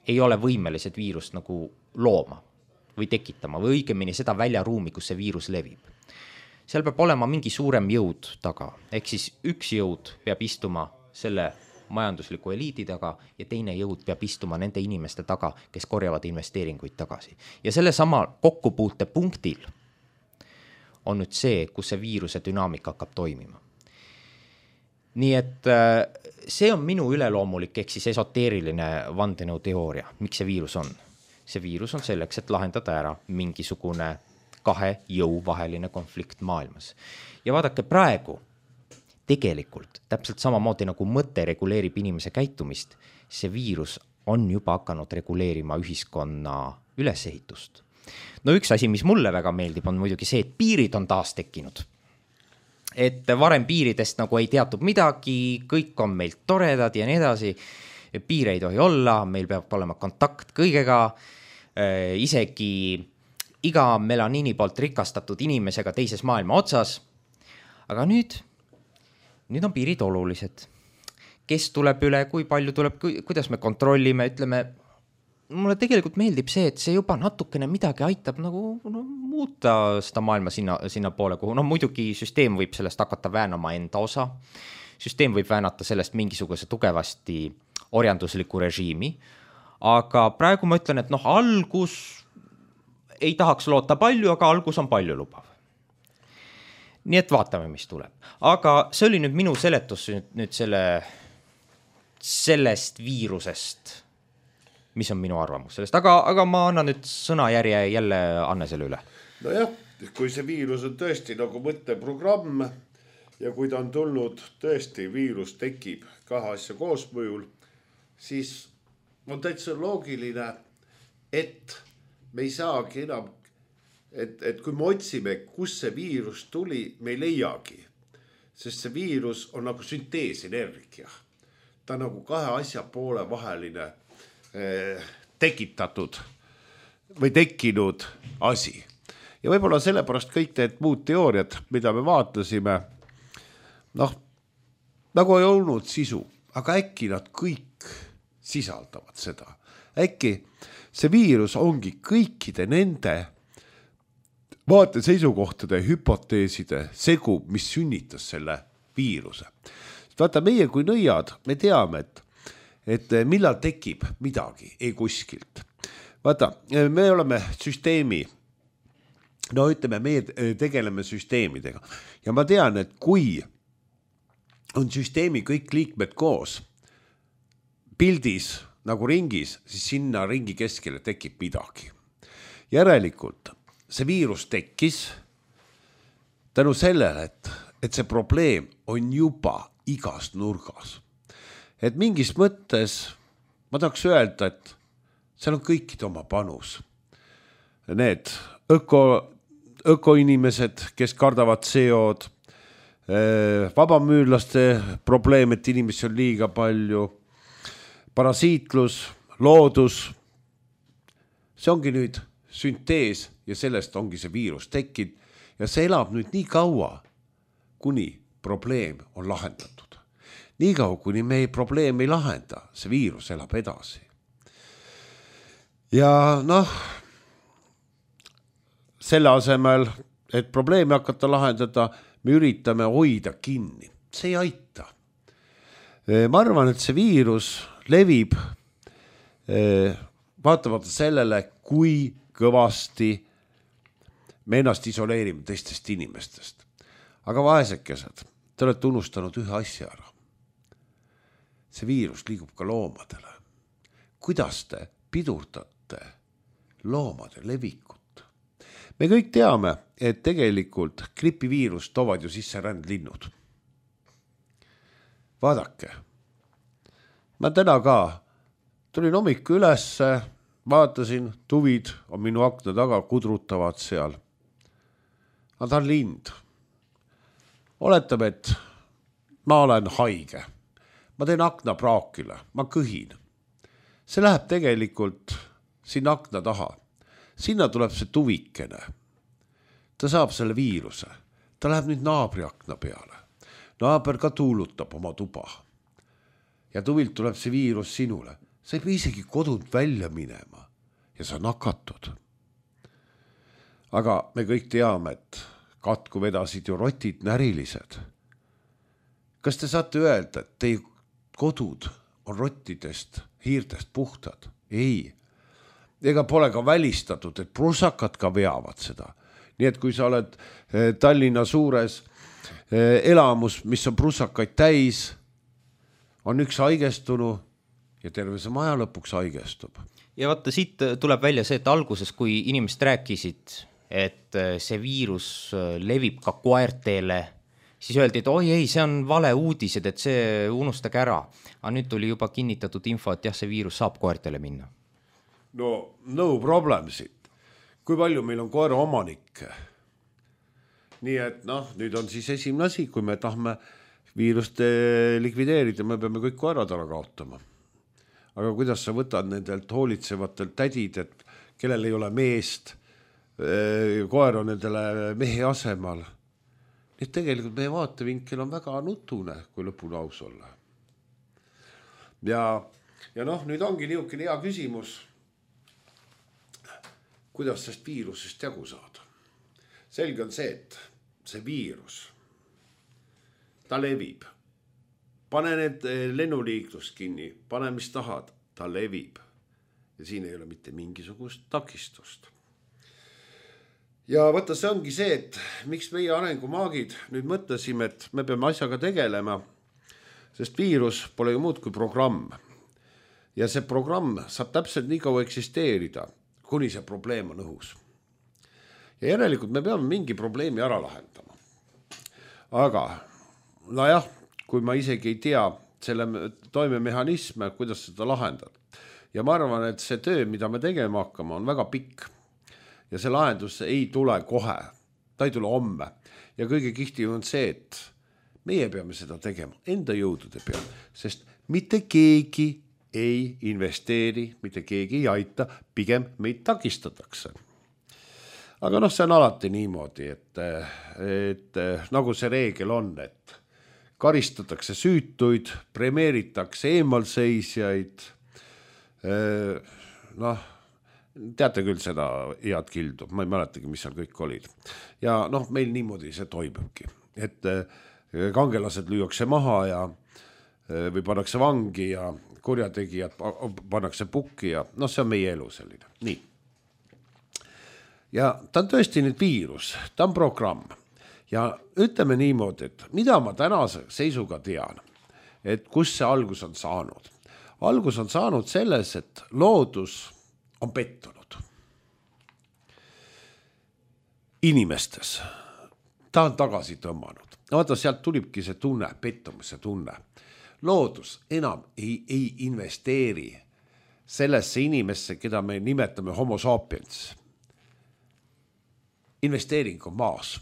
ei ole võimelised viirust nagu looma või tekitama või õigemini seda väljaruumi, kus see viirus levib. Seal peab olema mingi suurem jõud taga, ehk siis üks jõud peab istuma selle majandusliku eliidi taga ja teine jõud peab istuma nende inimeste taga, kes korjavad investeeringuid tagasi. Ja selle sama kokkupuute punktil on nüüd see, kus see viiruse dünaamika hakkab toimima. Nii et see on minu üleloomulik ehk siis esoteeriline vandenõu teooria, miks see viirus on. See viirus on selleks, et lahendada ära mingisugune kahe jõu vaheline konflikt maailmas. Ja vaadake praegu, tegelikult täpselt samamoodi nagu mõte reguleerib inimese käitumist, see viirus on juba hakanud reguleerima ühiskonna ülesehitust. No üks asi, mis mulle väga meeldib, on muidugi see, et piirid on taas tekkinud. Et varem piiridest nagu ei teatud midagi, kõik on meilt toredad ja nii edasi, piir ei tohi olla, meil peab olema kontakt kõigega, isegi iga melaniini poolt rikastatud inimesega teises maailma otsas, aga nüüd Nüüd on piirid olulised. Kes tuleb üle, kui palju tuleb, kuidas me kontrollime, ütleme, mulle tegelikult meeldib see, et see juba natukene midagi aitab nagu no, muuta seda maailma sinna, sinna poole, kuhu. No muidugi süsteem võib sellest hakata väänama enda osa. Süsteem võib väänata sellest mingisuguse tugevasti orjandusliku režiimi. Aga praegu ma ütlen, et noh, algus ei tahaks loota palju, aga algus on palju lubav. Nii et vaatame, mis tuleb. Aga see oli nüüd minu seletus nüüd, nüüd selle, sellest viirusest, mis on minu arvamus sellest. Aga, aga ma annan nüüd sõnajärje jälle Annesele üle. No jah, kui see viirus on tõesti nagu mõtteprogramm ja kui ta on tulnud tõesti, viirus tekib kahe asja koosmõjul, siis on täitsa loogiline, et me ei saagi enam Et, et kui me otsime, kus see viirus tuli, me ei leiagi. Sest see viirus on nagu sünteesenergia. Ta on nagu kahe asja poole vaheline eh, tekitatud või tekkinud asi. Ja võib-olla sellepärast kõik need muud teooriad, mida me vaatasime, noh, nagu ei olnud sisu, aga äkki nad kõik sisaldavad seda. Äkki see viirus ongi kõikide nende vaate seisukohtade, hüpoteeside segu, mis sünnitas selle viiruse. Vaata, meie kui nõiad, me teame, et, et millal tekib midagi, ei kuskilt. Vaata, me oleme süsteemi, no ütleme, me tegeleme süsteemidega ja ma tean, et kui on süsteemi kõik liikmed koos pildis nagu ringis, siis sinna ringi keskele tekib midagi. Järelikult see viirus tekkis tänu sellele, et, et see probleem on juba igas nurgas. Et mingis mõttes ma tahaks öelda, et seal on kõikide oma panus. Need öko, ökoinimesed, kes kardavad C O-d, vabamüürlaste probleem, et inimesi on liiga palju, parasiitlus, loodus, see ongi nüüd süntees ja sellest ongi see viirus tekkinud ja see elab nüüd nii kaua, kuni probleem on lahendatud. Nii kaua, kuni me probleem ei lahenda, see viirus elab edasi. Ja noh, selle asemel, et probleemi hakata lahendada, me üritame hoida kinni. See ei aita. Ma arvan, et see viirus levib vaatamata sellele, kui kõvasti me ennast isoleerime teistest inimestest. Aga vaesekesed, te olete unustanud ühe asja ära. See viirus liigub ka loomadele. Kuidas te pidurdate loomade levikut? Me kõik teame, et tegelikult gripiviirus toovad ju sisse rändlinnud. Vaadake, ma täna ka tulin hommiku ülesse, vaatasin, tuvid on minu akna taga, kudrutavad seal. Aga ta on lind. Oletame, et ma olen haige. Ma teen akna praakile, ma kõhin. See läheb tegelikult sinna akna taha. Sinna tuleb see tuvikene. Ta saab selle viiruse. Ta läheb nüüd naabri akna peale. Naaber ka tuulutab oma tuba. Ja tuvilt tuleb see viirus sinule. Sa ei pea isegi kodud välja minema ja sa nakatud. Aga me kõik teame, et katku vedasid ju rotid närilised. Kas te saate öelda, et teie kodud on rottidest, hiirtest puhtad? Ei. Ega pole ka välistatud, et prusakad ka veavad seda. Nii et kui sa oled Tallinna suures elamus, mis on prusakaid täis, on üks haigestunu ja terve see maja lõpuks haigestub. Ja vaata, siit tuleb välja see, et alguses, kui inimesed rääkisid, et see viirus levib ka koerteele, siis öeldi, et oi ei, see on vale uudised, et see unustage ära. Aga nüüd tuli juba kinnitatud info, et jah, see viirus saab koertele minna. No, no problem siit. Kui palju meil on koera omanikke? Nii et noh, nüüd on siis esimene asi, kui me tahame viirust likvideerida, me peame kõik koerad ära kaotama. Aga kuidas sa võtad nendelt hoolitsevatelt tädid, et kellel ei ole meest, koer on nendele mehe asemal. Nii et tegelikult meie vaatevinkel on väga nutune, kui lõpuni aus olla. Ja, ja noh, nüüd ongi niisugune hea küsimus, kuidas sellest viirusest jagu saada. Selge on see, et see viirus, ta levib. Pane need lennuliiklus kinni, pane mis tahad, ta levib. Ja siin ei ole mitte mingisugust takistust. Ja võtta see ongi see, et miks meie arengumaagid nüüd mõtlesime, et me peame asjaga tegelema, sest viirus pole ju muud kui programm. Ja see programm saab täpselt nii kaua eksisteerida, kuni see probleem on õhus. Ja järelikult me peame mingi probleemi ära lahendama. Aga, no jah, kui ma isegi ei tea selle toimemehhanisme, kuidas seda lahendada. Ja ma arvan, et see töö, mida me tegema hakkama, on väga pikk. Ja see lahendus ei tule kohe, ta ei tule homme. Ja kõige kihtim on see, et meie peame seda tegema enda jõudude peale, sest mitte keegi ei investeeri, mitte keegi ei aita, pigem meid takistatakse. Aga noh, see on alati niimoodi, et, et nagu see reegel on, et karistatakse süütuid, premeeritakse eemalseisjaid, noh, teate küll seda head kildu, ma ei mäletagi, mis seal kõik olid. Ja noh, meil niimoodi see toimubki, et kangelased lüüakse maha ja või pannakse vangi ja kurjategijad pannakse pukki ja noh, see on meie elu selline. Nii. Ja ta on tõesti nüüd viirus, ta on programm ja ütleme niimoodi, et mida ma tänase seisuga tean, et kus see algus on saanud. Algus on saanud selles, et loodus on pettunud inimestes. Ta on tagasi tõmmanud. Vaata, sealt tulibki see tunne, pettumise tunne. Loodus enam ei, ei investeeri sellesse inimesse, keda me nimetame homo sapiens. Investeering on maas.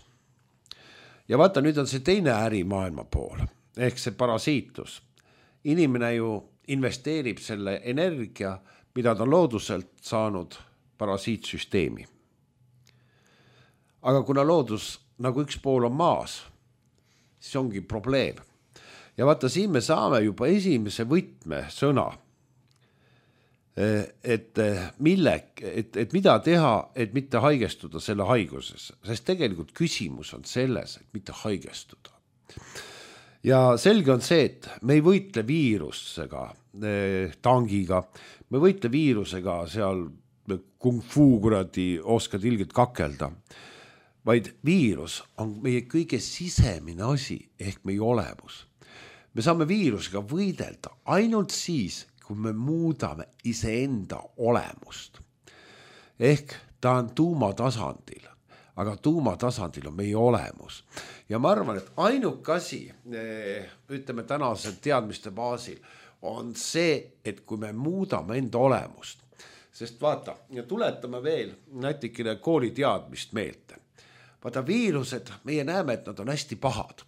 Ja vaata, nüüd on see teine äri maailma pool, ehk see parasiitlus. Inimene ju investeerib selle energia, mida ta looduselt saanud parasiitsüsteemi. Aga kuna loodus nagu üks pool on maas, siis ongi probleem. Ja vaata, siin me saame juba esimese võtme sõna, et, mille, et, et mida teha, et mitte haigestuda selle haiguses, sest tegelikult küsimus on selles, et mitte haigestuda. Ja selge on see, et me ei võitle viirusega, tangiga, me võitle viirusega seal kung fu kuradi oskad ilgelt kakelda, vaid viirus on meie kõige sisemine asi ehk meie olemus. Me saame viirusega võidelda ainult siis, kui me muudame iseenda olemust. Ehk ta on tuumatasandil, aga tuumatasandil on meie olemus. Ja ma arvan, et ainuke asi, ütleme tänase teadmiste baasil, on see, et kui me muudame enda olemust, sest vaata, ja tuletame veel nätikene kooli teadmist meelde. Vaata, viirused, meie näeme, et nad on hästi pahad.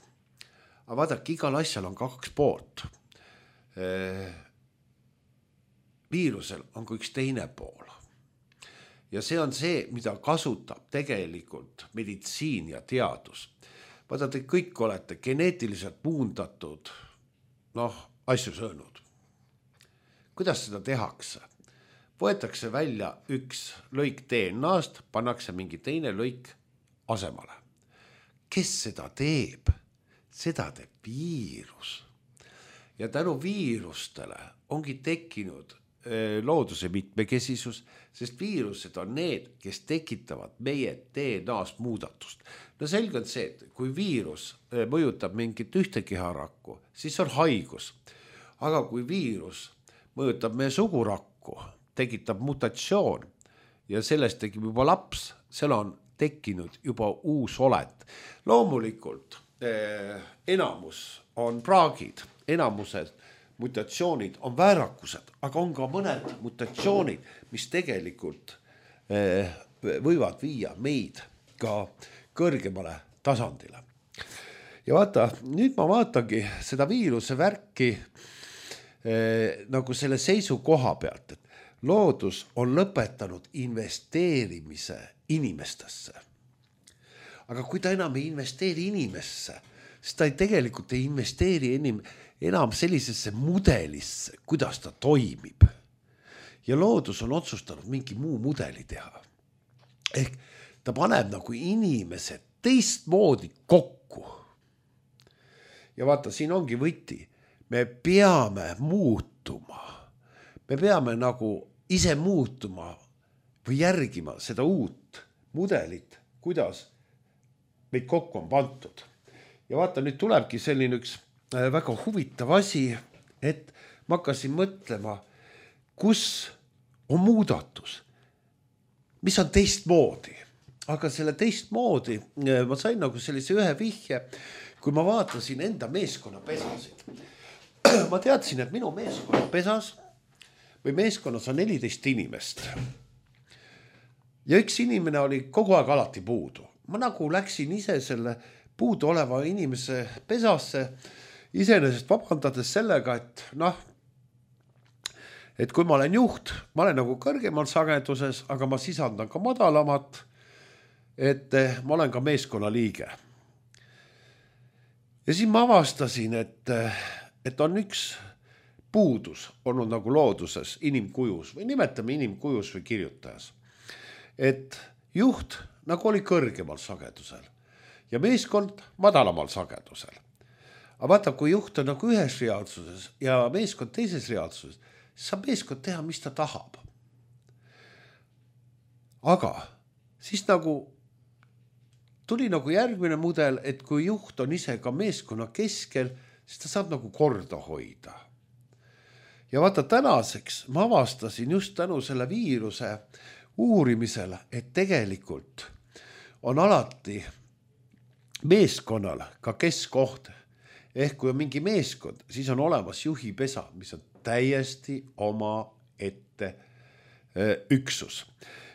Aga vaadake, igal asjal on kaks poolt. Viirusel on ka üks teine pool. Ja see on see, mida kasutab tegelikult meditsiin ja teadus. Vaata, te kõik olete geneetiliselt muundatud, noh, asju söönud. Kuidas seda tehakse? Võetakse välja üks lõik D N A-st, pannakse mingi teine lõik asemale. Kes seda teeb? Seda teeb viirus. Ja tänu viirustele ongi tekkinud looduse mitmekesisus, sest viirused on need, kes tekitavad meie D N A-st muudatust. No selge on see, et kui viirus mõjutab mingit ühte keharakku, siis on haigus. Aga kui viirus mõjutab meie sugurakku, tekitab mutatsioon ja sellest tekib juba laps, seal on tekkinud juba uus olend. Loomulikult eh, enamus on praagid, enamused mutatsioonid on väärakused, aga on ka mõned mutatsioonid, mis tegelikult eh, võivad viia meid ka kõrgemale tasandile. Ja vaata, nüüd ma vaatangi seda viiruse värki eh, nagu selle seisu koha pealt, et loodus on lõpetanud investeerimise inimestesse. Aga kui ta enam ei investeeri inimesse, siis ta ei tegelikult ei investeeri enim, enam sellisesse mudelisse, kuidas ta toimib. Ja loodus on otsustanud mingi muu mudeli teha. Ehk ta paneb nagu inimesed teistmoodi kokku. Ja vaata, siin ongi võti. Me peame muutuma. Me peame nagu ise muutuma või järgima seda uut mudelit, kuidas meid kokku on pantud. Ja vaata, nüüd tulebki selline üks väga huvitav asi, et ma hakkasin mõtlema, kus on muudatus, mis on teistmoodi. Aga selle teistmoodi ma sain nagu sellise ühe vihje, kui ma vaatasin enda meeskonna pesasid. Ma teadsin, et minu meeskonna pesas või meeskonnas on neliteist inimest. Ja üks inimene oli kogu aeg alati puudu. Ma nagu läksin ise selle puudu oleva inimese pesasse, iseenesest vabandades sellega, et noh, et kui ma olen juht, ma olen nagu kõrgemal sageduses, aga ma sisandan ka madalamat, et ma olen ka meeskonna liige. Ja siis ma avastasin, et, et on üks puudus olnud nagu looduses, inimkujus või nimetame inimkujus või kirjutajas. Et juht nagu oli kõrgemal sagedusel ja meeskond madalamal sagedusel. Aga vaata, kui juht on nagu ühes reaalsuses ja meeskond teises reaalsuses, siis saab meeskond teha, mis ta tahab. Aga siis nagu tuli nagu järgmine mudel, et kui juht on ise ka meeskonna keskel, siis ta saab nagu korda hoida. Ja vaata, tänaseks ma avastasin just tänu selle viiruse uurimisele, et tegelikult on alati meeskonnal ka keskoht. Ehk kui on mingi meeskond, siis on olemas juhipesa, mis on täiesti oma ette üksus.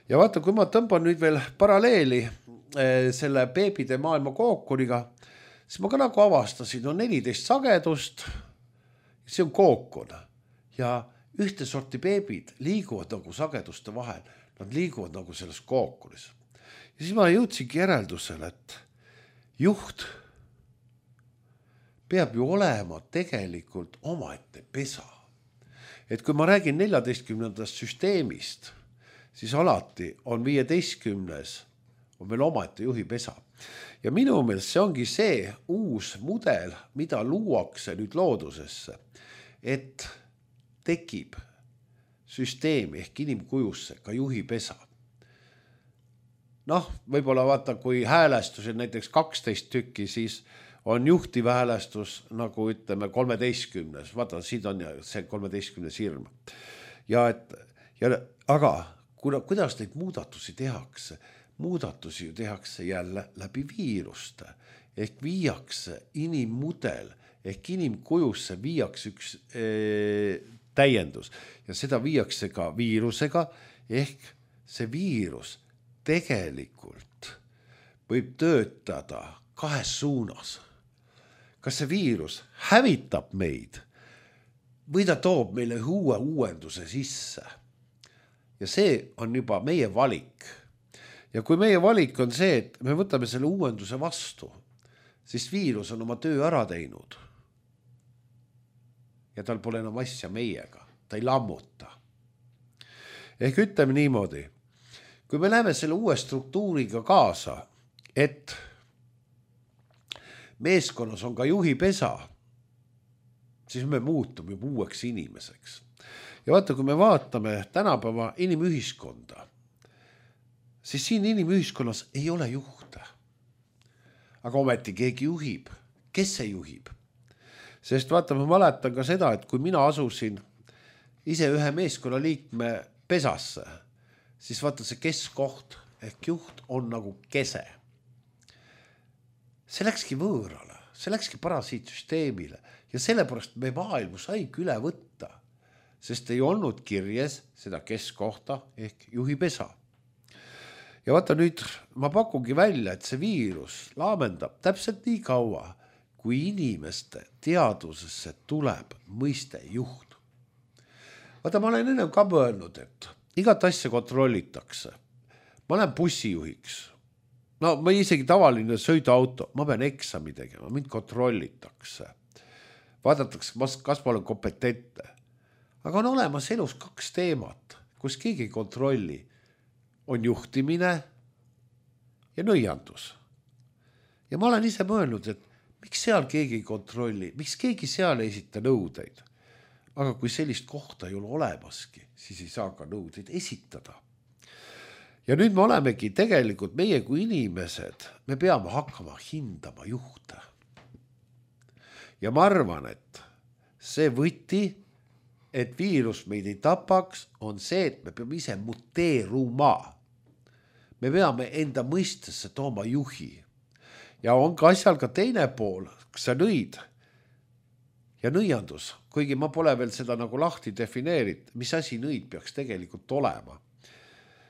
Ja vaata, kui ma tõmban nüüd veel paralleeli selle beebide maailma kookoniga, siis ma ka nagu avastasin, on neliteist sagedust, see on kookon. Ja ühte sorti beebid liiguvad nagu sageduste vahel, nad liiguvad nagu selles kookonis. Ja siis ma jõudsingi järeldusele, et juht peab ju olema tegelikult omaette pesa. Et kui ma räägin neljateistkümnendast süsteemist, siis alati on viieteistkümnes on veel omaette juhipesa. Ja minu meelest see ongi see uus mudel, mida luuakse nüüd loodusesse, et tekib süsteemi ehk inimkujusse ka juhipesa. Noh, võib-olla vaata, kui häälestus on näiteks kaksteist tükki, siis on juhtiv häälestus nagu ütleme kolmeteistkümnes. Vaata, siin on see kolmeteistkümnes hirm. Ja et, ja, aga kuidas neid muudatusi tehakse? Muudatusi ju tehakse jälle läbi viiruste. Ehk viiakse inimmudel, ehk inimkujusse viiakse üks ee, täiendus. Ja seda viiakse ka viirusega, ehk see viirus tegelikult võib töötada kahes suunas. Kas see viirus hävitab meid või ta toob meile uue uuenduse sisse? Ja see on juba meie valik. Ja kui meie valik on see, et me võtame selle uuenduse vastu, siis viirus on oma töö ära teinud. Ja tal pole enam asja meiega. Ta ei lammuta. Ehk ütleme niimoodi, kui me läheme selle uue struktuuriga kaasa, et meeskonnas on ka juhipesa, siis me muutume juba uueks inimeseks. Ja vaata, kui me vaatame tänapäeva inimühiskonda, siis siin inimühiskonnas ei ole juhte. Aga ometi keegi juhib. Kes see juhib? Sest vaata, ma mäletan ka seda, et kui mina asusin ise ühe meeskonna liikme pesasse, siis vaata see keskoht ehk juht on nagu kese. See läkski võõrale, see läkski parasiitsüsteemile ja sellepärast me maailmu saigi üle võtta, sest ei olnud kirjes seda keskohta ehk juhipesa. Ja vaata nüüd, ma pakungi välja, et see viirus laamendab täpselt nii kaua, kui inimeste teadusesse tuleb mõiste juht. Vaata, ma olen enne ka mõelnud, et igat asja kontrollitakse. Ma olen bussijuhiks. No ma isegi tavaline sõiduauto, ma pean eksami tegema, mind kontrollitakse. Vaadatakse, kas ma olen kompetentne. Aga on olemas elus kaks teemat, kus keegi ei kontrolli. On juhtimine ja nõiandus. Ja ma olen ise mõelnud, et miks seal keegi ei kontrolli, miks keegi seal ei esita nõudeid. Aga kui sellist kohta ei ole olemaski, siis ei saa ka nõudeid esitada. Ja nüüd me olemegi tegelikult meie kui inimesed, me peame hakkama hindama juhte. Ja ma arvan, et see võti, et viirus meid ei tapaks, on see, et me peame ise muteeruma. Me peame enda mõistesse tooma juhi. Ja on ka asjal ka teine pool, kus sa nõid ja nõiandus, kuigi ma pole veel seda nagu lahti defineerit, mis asi nõid peaks tegelikult olema.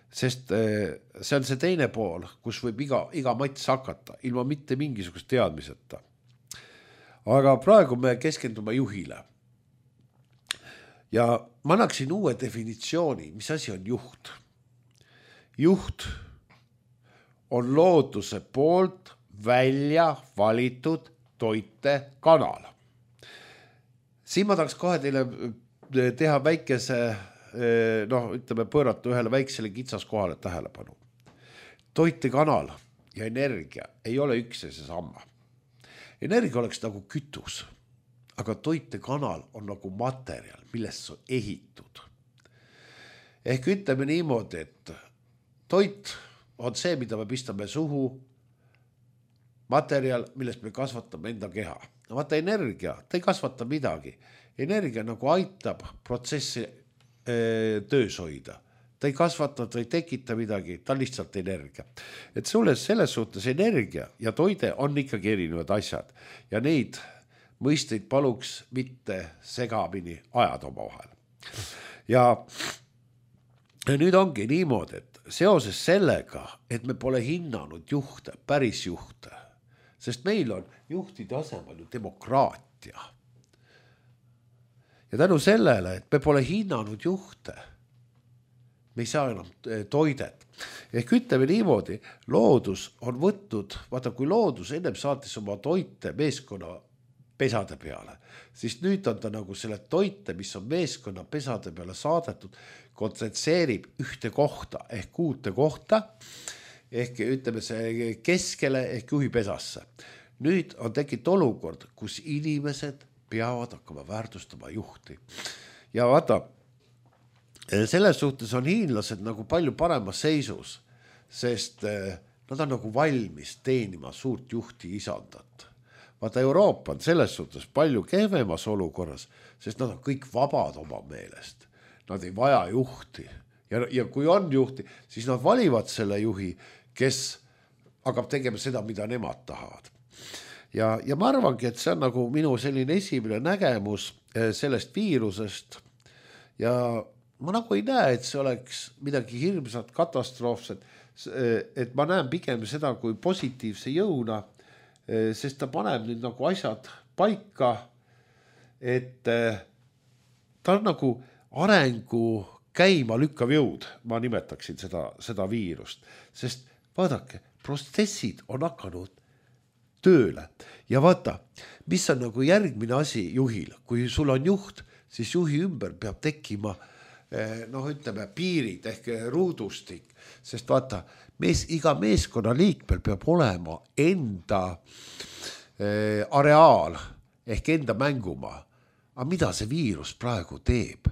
Sest see on see teine pool, kus võib iga, iga mats hakata, ilma mitte mingisugust teadmiseta. Aga praegu me keskendume juhile. ja ma annaksin uue definitsiooni, mis asi on juht. Juht on looduse poolt välja valitud toitekanal. Siin ma tahaks kohe teile teha väikese, noh, ütleme pöörata ühele väiksele kitsaskohale tähelepanu. Toitekanal ja energia ei ole üks ja see sama. Energia oleks nagu kütus, aga toitekanal on nagu materjal, millest on ehitud. Ehk ütleme niimoodi, et toit on see, mida me pistame suhu, materjal, millest me kasvatame enda keha. No vaata energia, ta ei kasvata midagi. Energia nagu aitab protsessi e, töös hoida. Ta ei kasvata, ta ei tekita midagi, ta on lihtsalt energia. Et sulle selles suhtes energia ja toide on ikkagi erinevad asjad. Ja neid mõisteid paluks mitte segamini ajada oma vahel. Ja nüüd ongi niimoodi, et seoses sellega, et me pole hinnanud juhte, päris juhte, sest meil on juhtide asemel ju demokraatia. Ja tänu sellele, et me pole hinnanud juhte, me ei saa enam toidet. Ehk ütleme niimoodi, loodus on võtnud, vaata kui loodus ennem saatis oma toite meeskonna pesade peale, siis nüüd on ta nagu selle toite, mis on meeskonna pesade peale saadetud, kontsentreerib ühte kohta ehk uute kohta, ehk ütleme see keskele ehk juhi pesasse. Nüüd on tekkinud olukord, kus inimesed peavad hakkama väärtustama juhti. Ja vaata, selles suhtes on hiinlased nagu palju paremas seisus, sest nad on nagu valmis teenima suurt juhti isandat. Vaata, Euroopa on selles suhtes palju kehvemas olukorras, sest nad on kõik vabad oma meelest. Nad ei vaja juhti. Ja, ja kui on juhti, siis nad valivad selle juhi, kes hakkab tegema seda, mida nemad tahavad. Ja, ja ma arvangi, et see on nagu minu selline esimene nägemus sellest viirusest. Ja ma nagu ei näe, et see oleks midagi hirmsat, katastroofset, et ma näen pigem seda kui positiivse jõuna, sest ta paneb nüüd nagu asjad paika, et ta on nagu arengu käima lükkav jõud, ma nimetaksin seda, seda viirust, sest vaadake, protsessid on hakanud tööle ja vaata, mis on nagu järgmine asi juhil, kui sul on juht, siis juhi ümber peab tekkima noh, ütleme piirid ehk ruudustik, sest vaata, mees, iga meeskonna liikmel peab olema enda eh, areaal ehk enda mängumaa. Aga mida see viirus praegu teeb?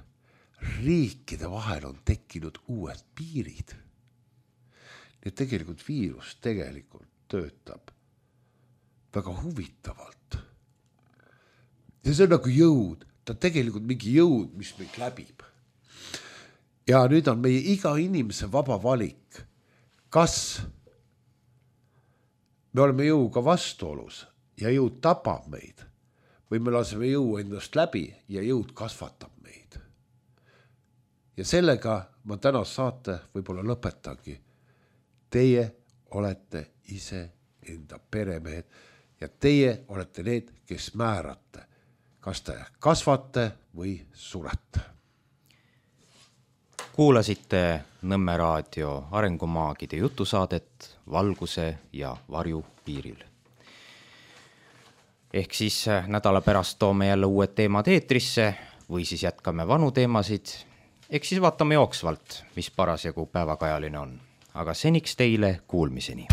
Riikide vahel on tekkinud uued piirid. Nii et tegelikult viirus tegelikult töötab väga huvitavalt. Ja see on nagu jõud, ta on tegelikult mingi jõud, mis meid läbib. Ja nüüd on meie iga inimese vaba valik, kas me oleme jõuga vastuolus ja jõud tapab meid või me laseme jõu endast läbi ja jõud kasvatab meid. Ja sellega ma tänast saate võib-olla lõpetangi. Teie olete ise enda peremehed ja teie olete need, kes määrate, kas te kasvate või surete. Kuulasite Nõmme raadio arengumaagide jutusaadet Valguse ja varju piiril. Ehk siis nädala pärast toome jälle uued teemad eetrisse või siis jätkame vanu teemasid. Ehk siis vaatame jooksvalt, mis parasjagu päevakajaline on. Aga seniks teile kuulmiseni.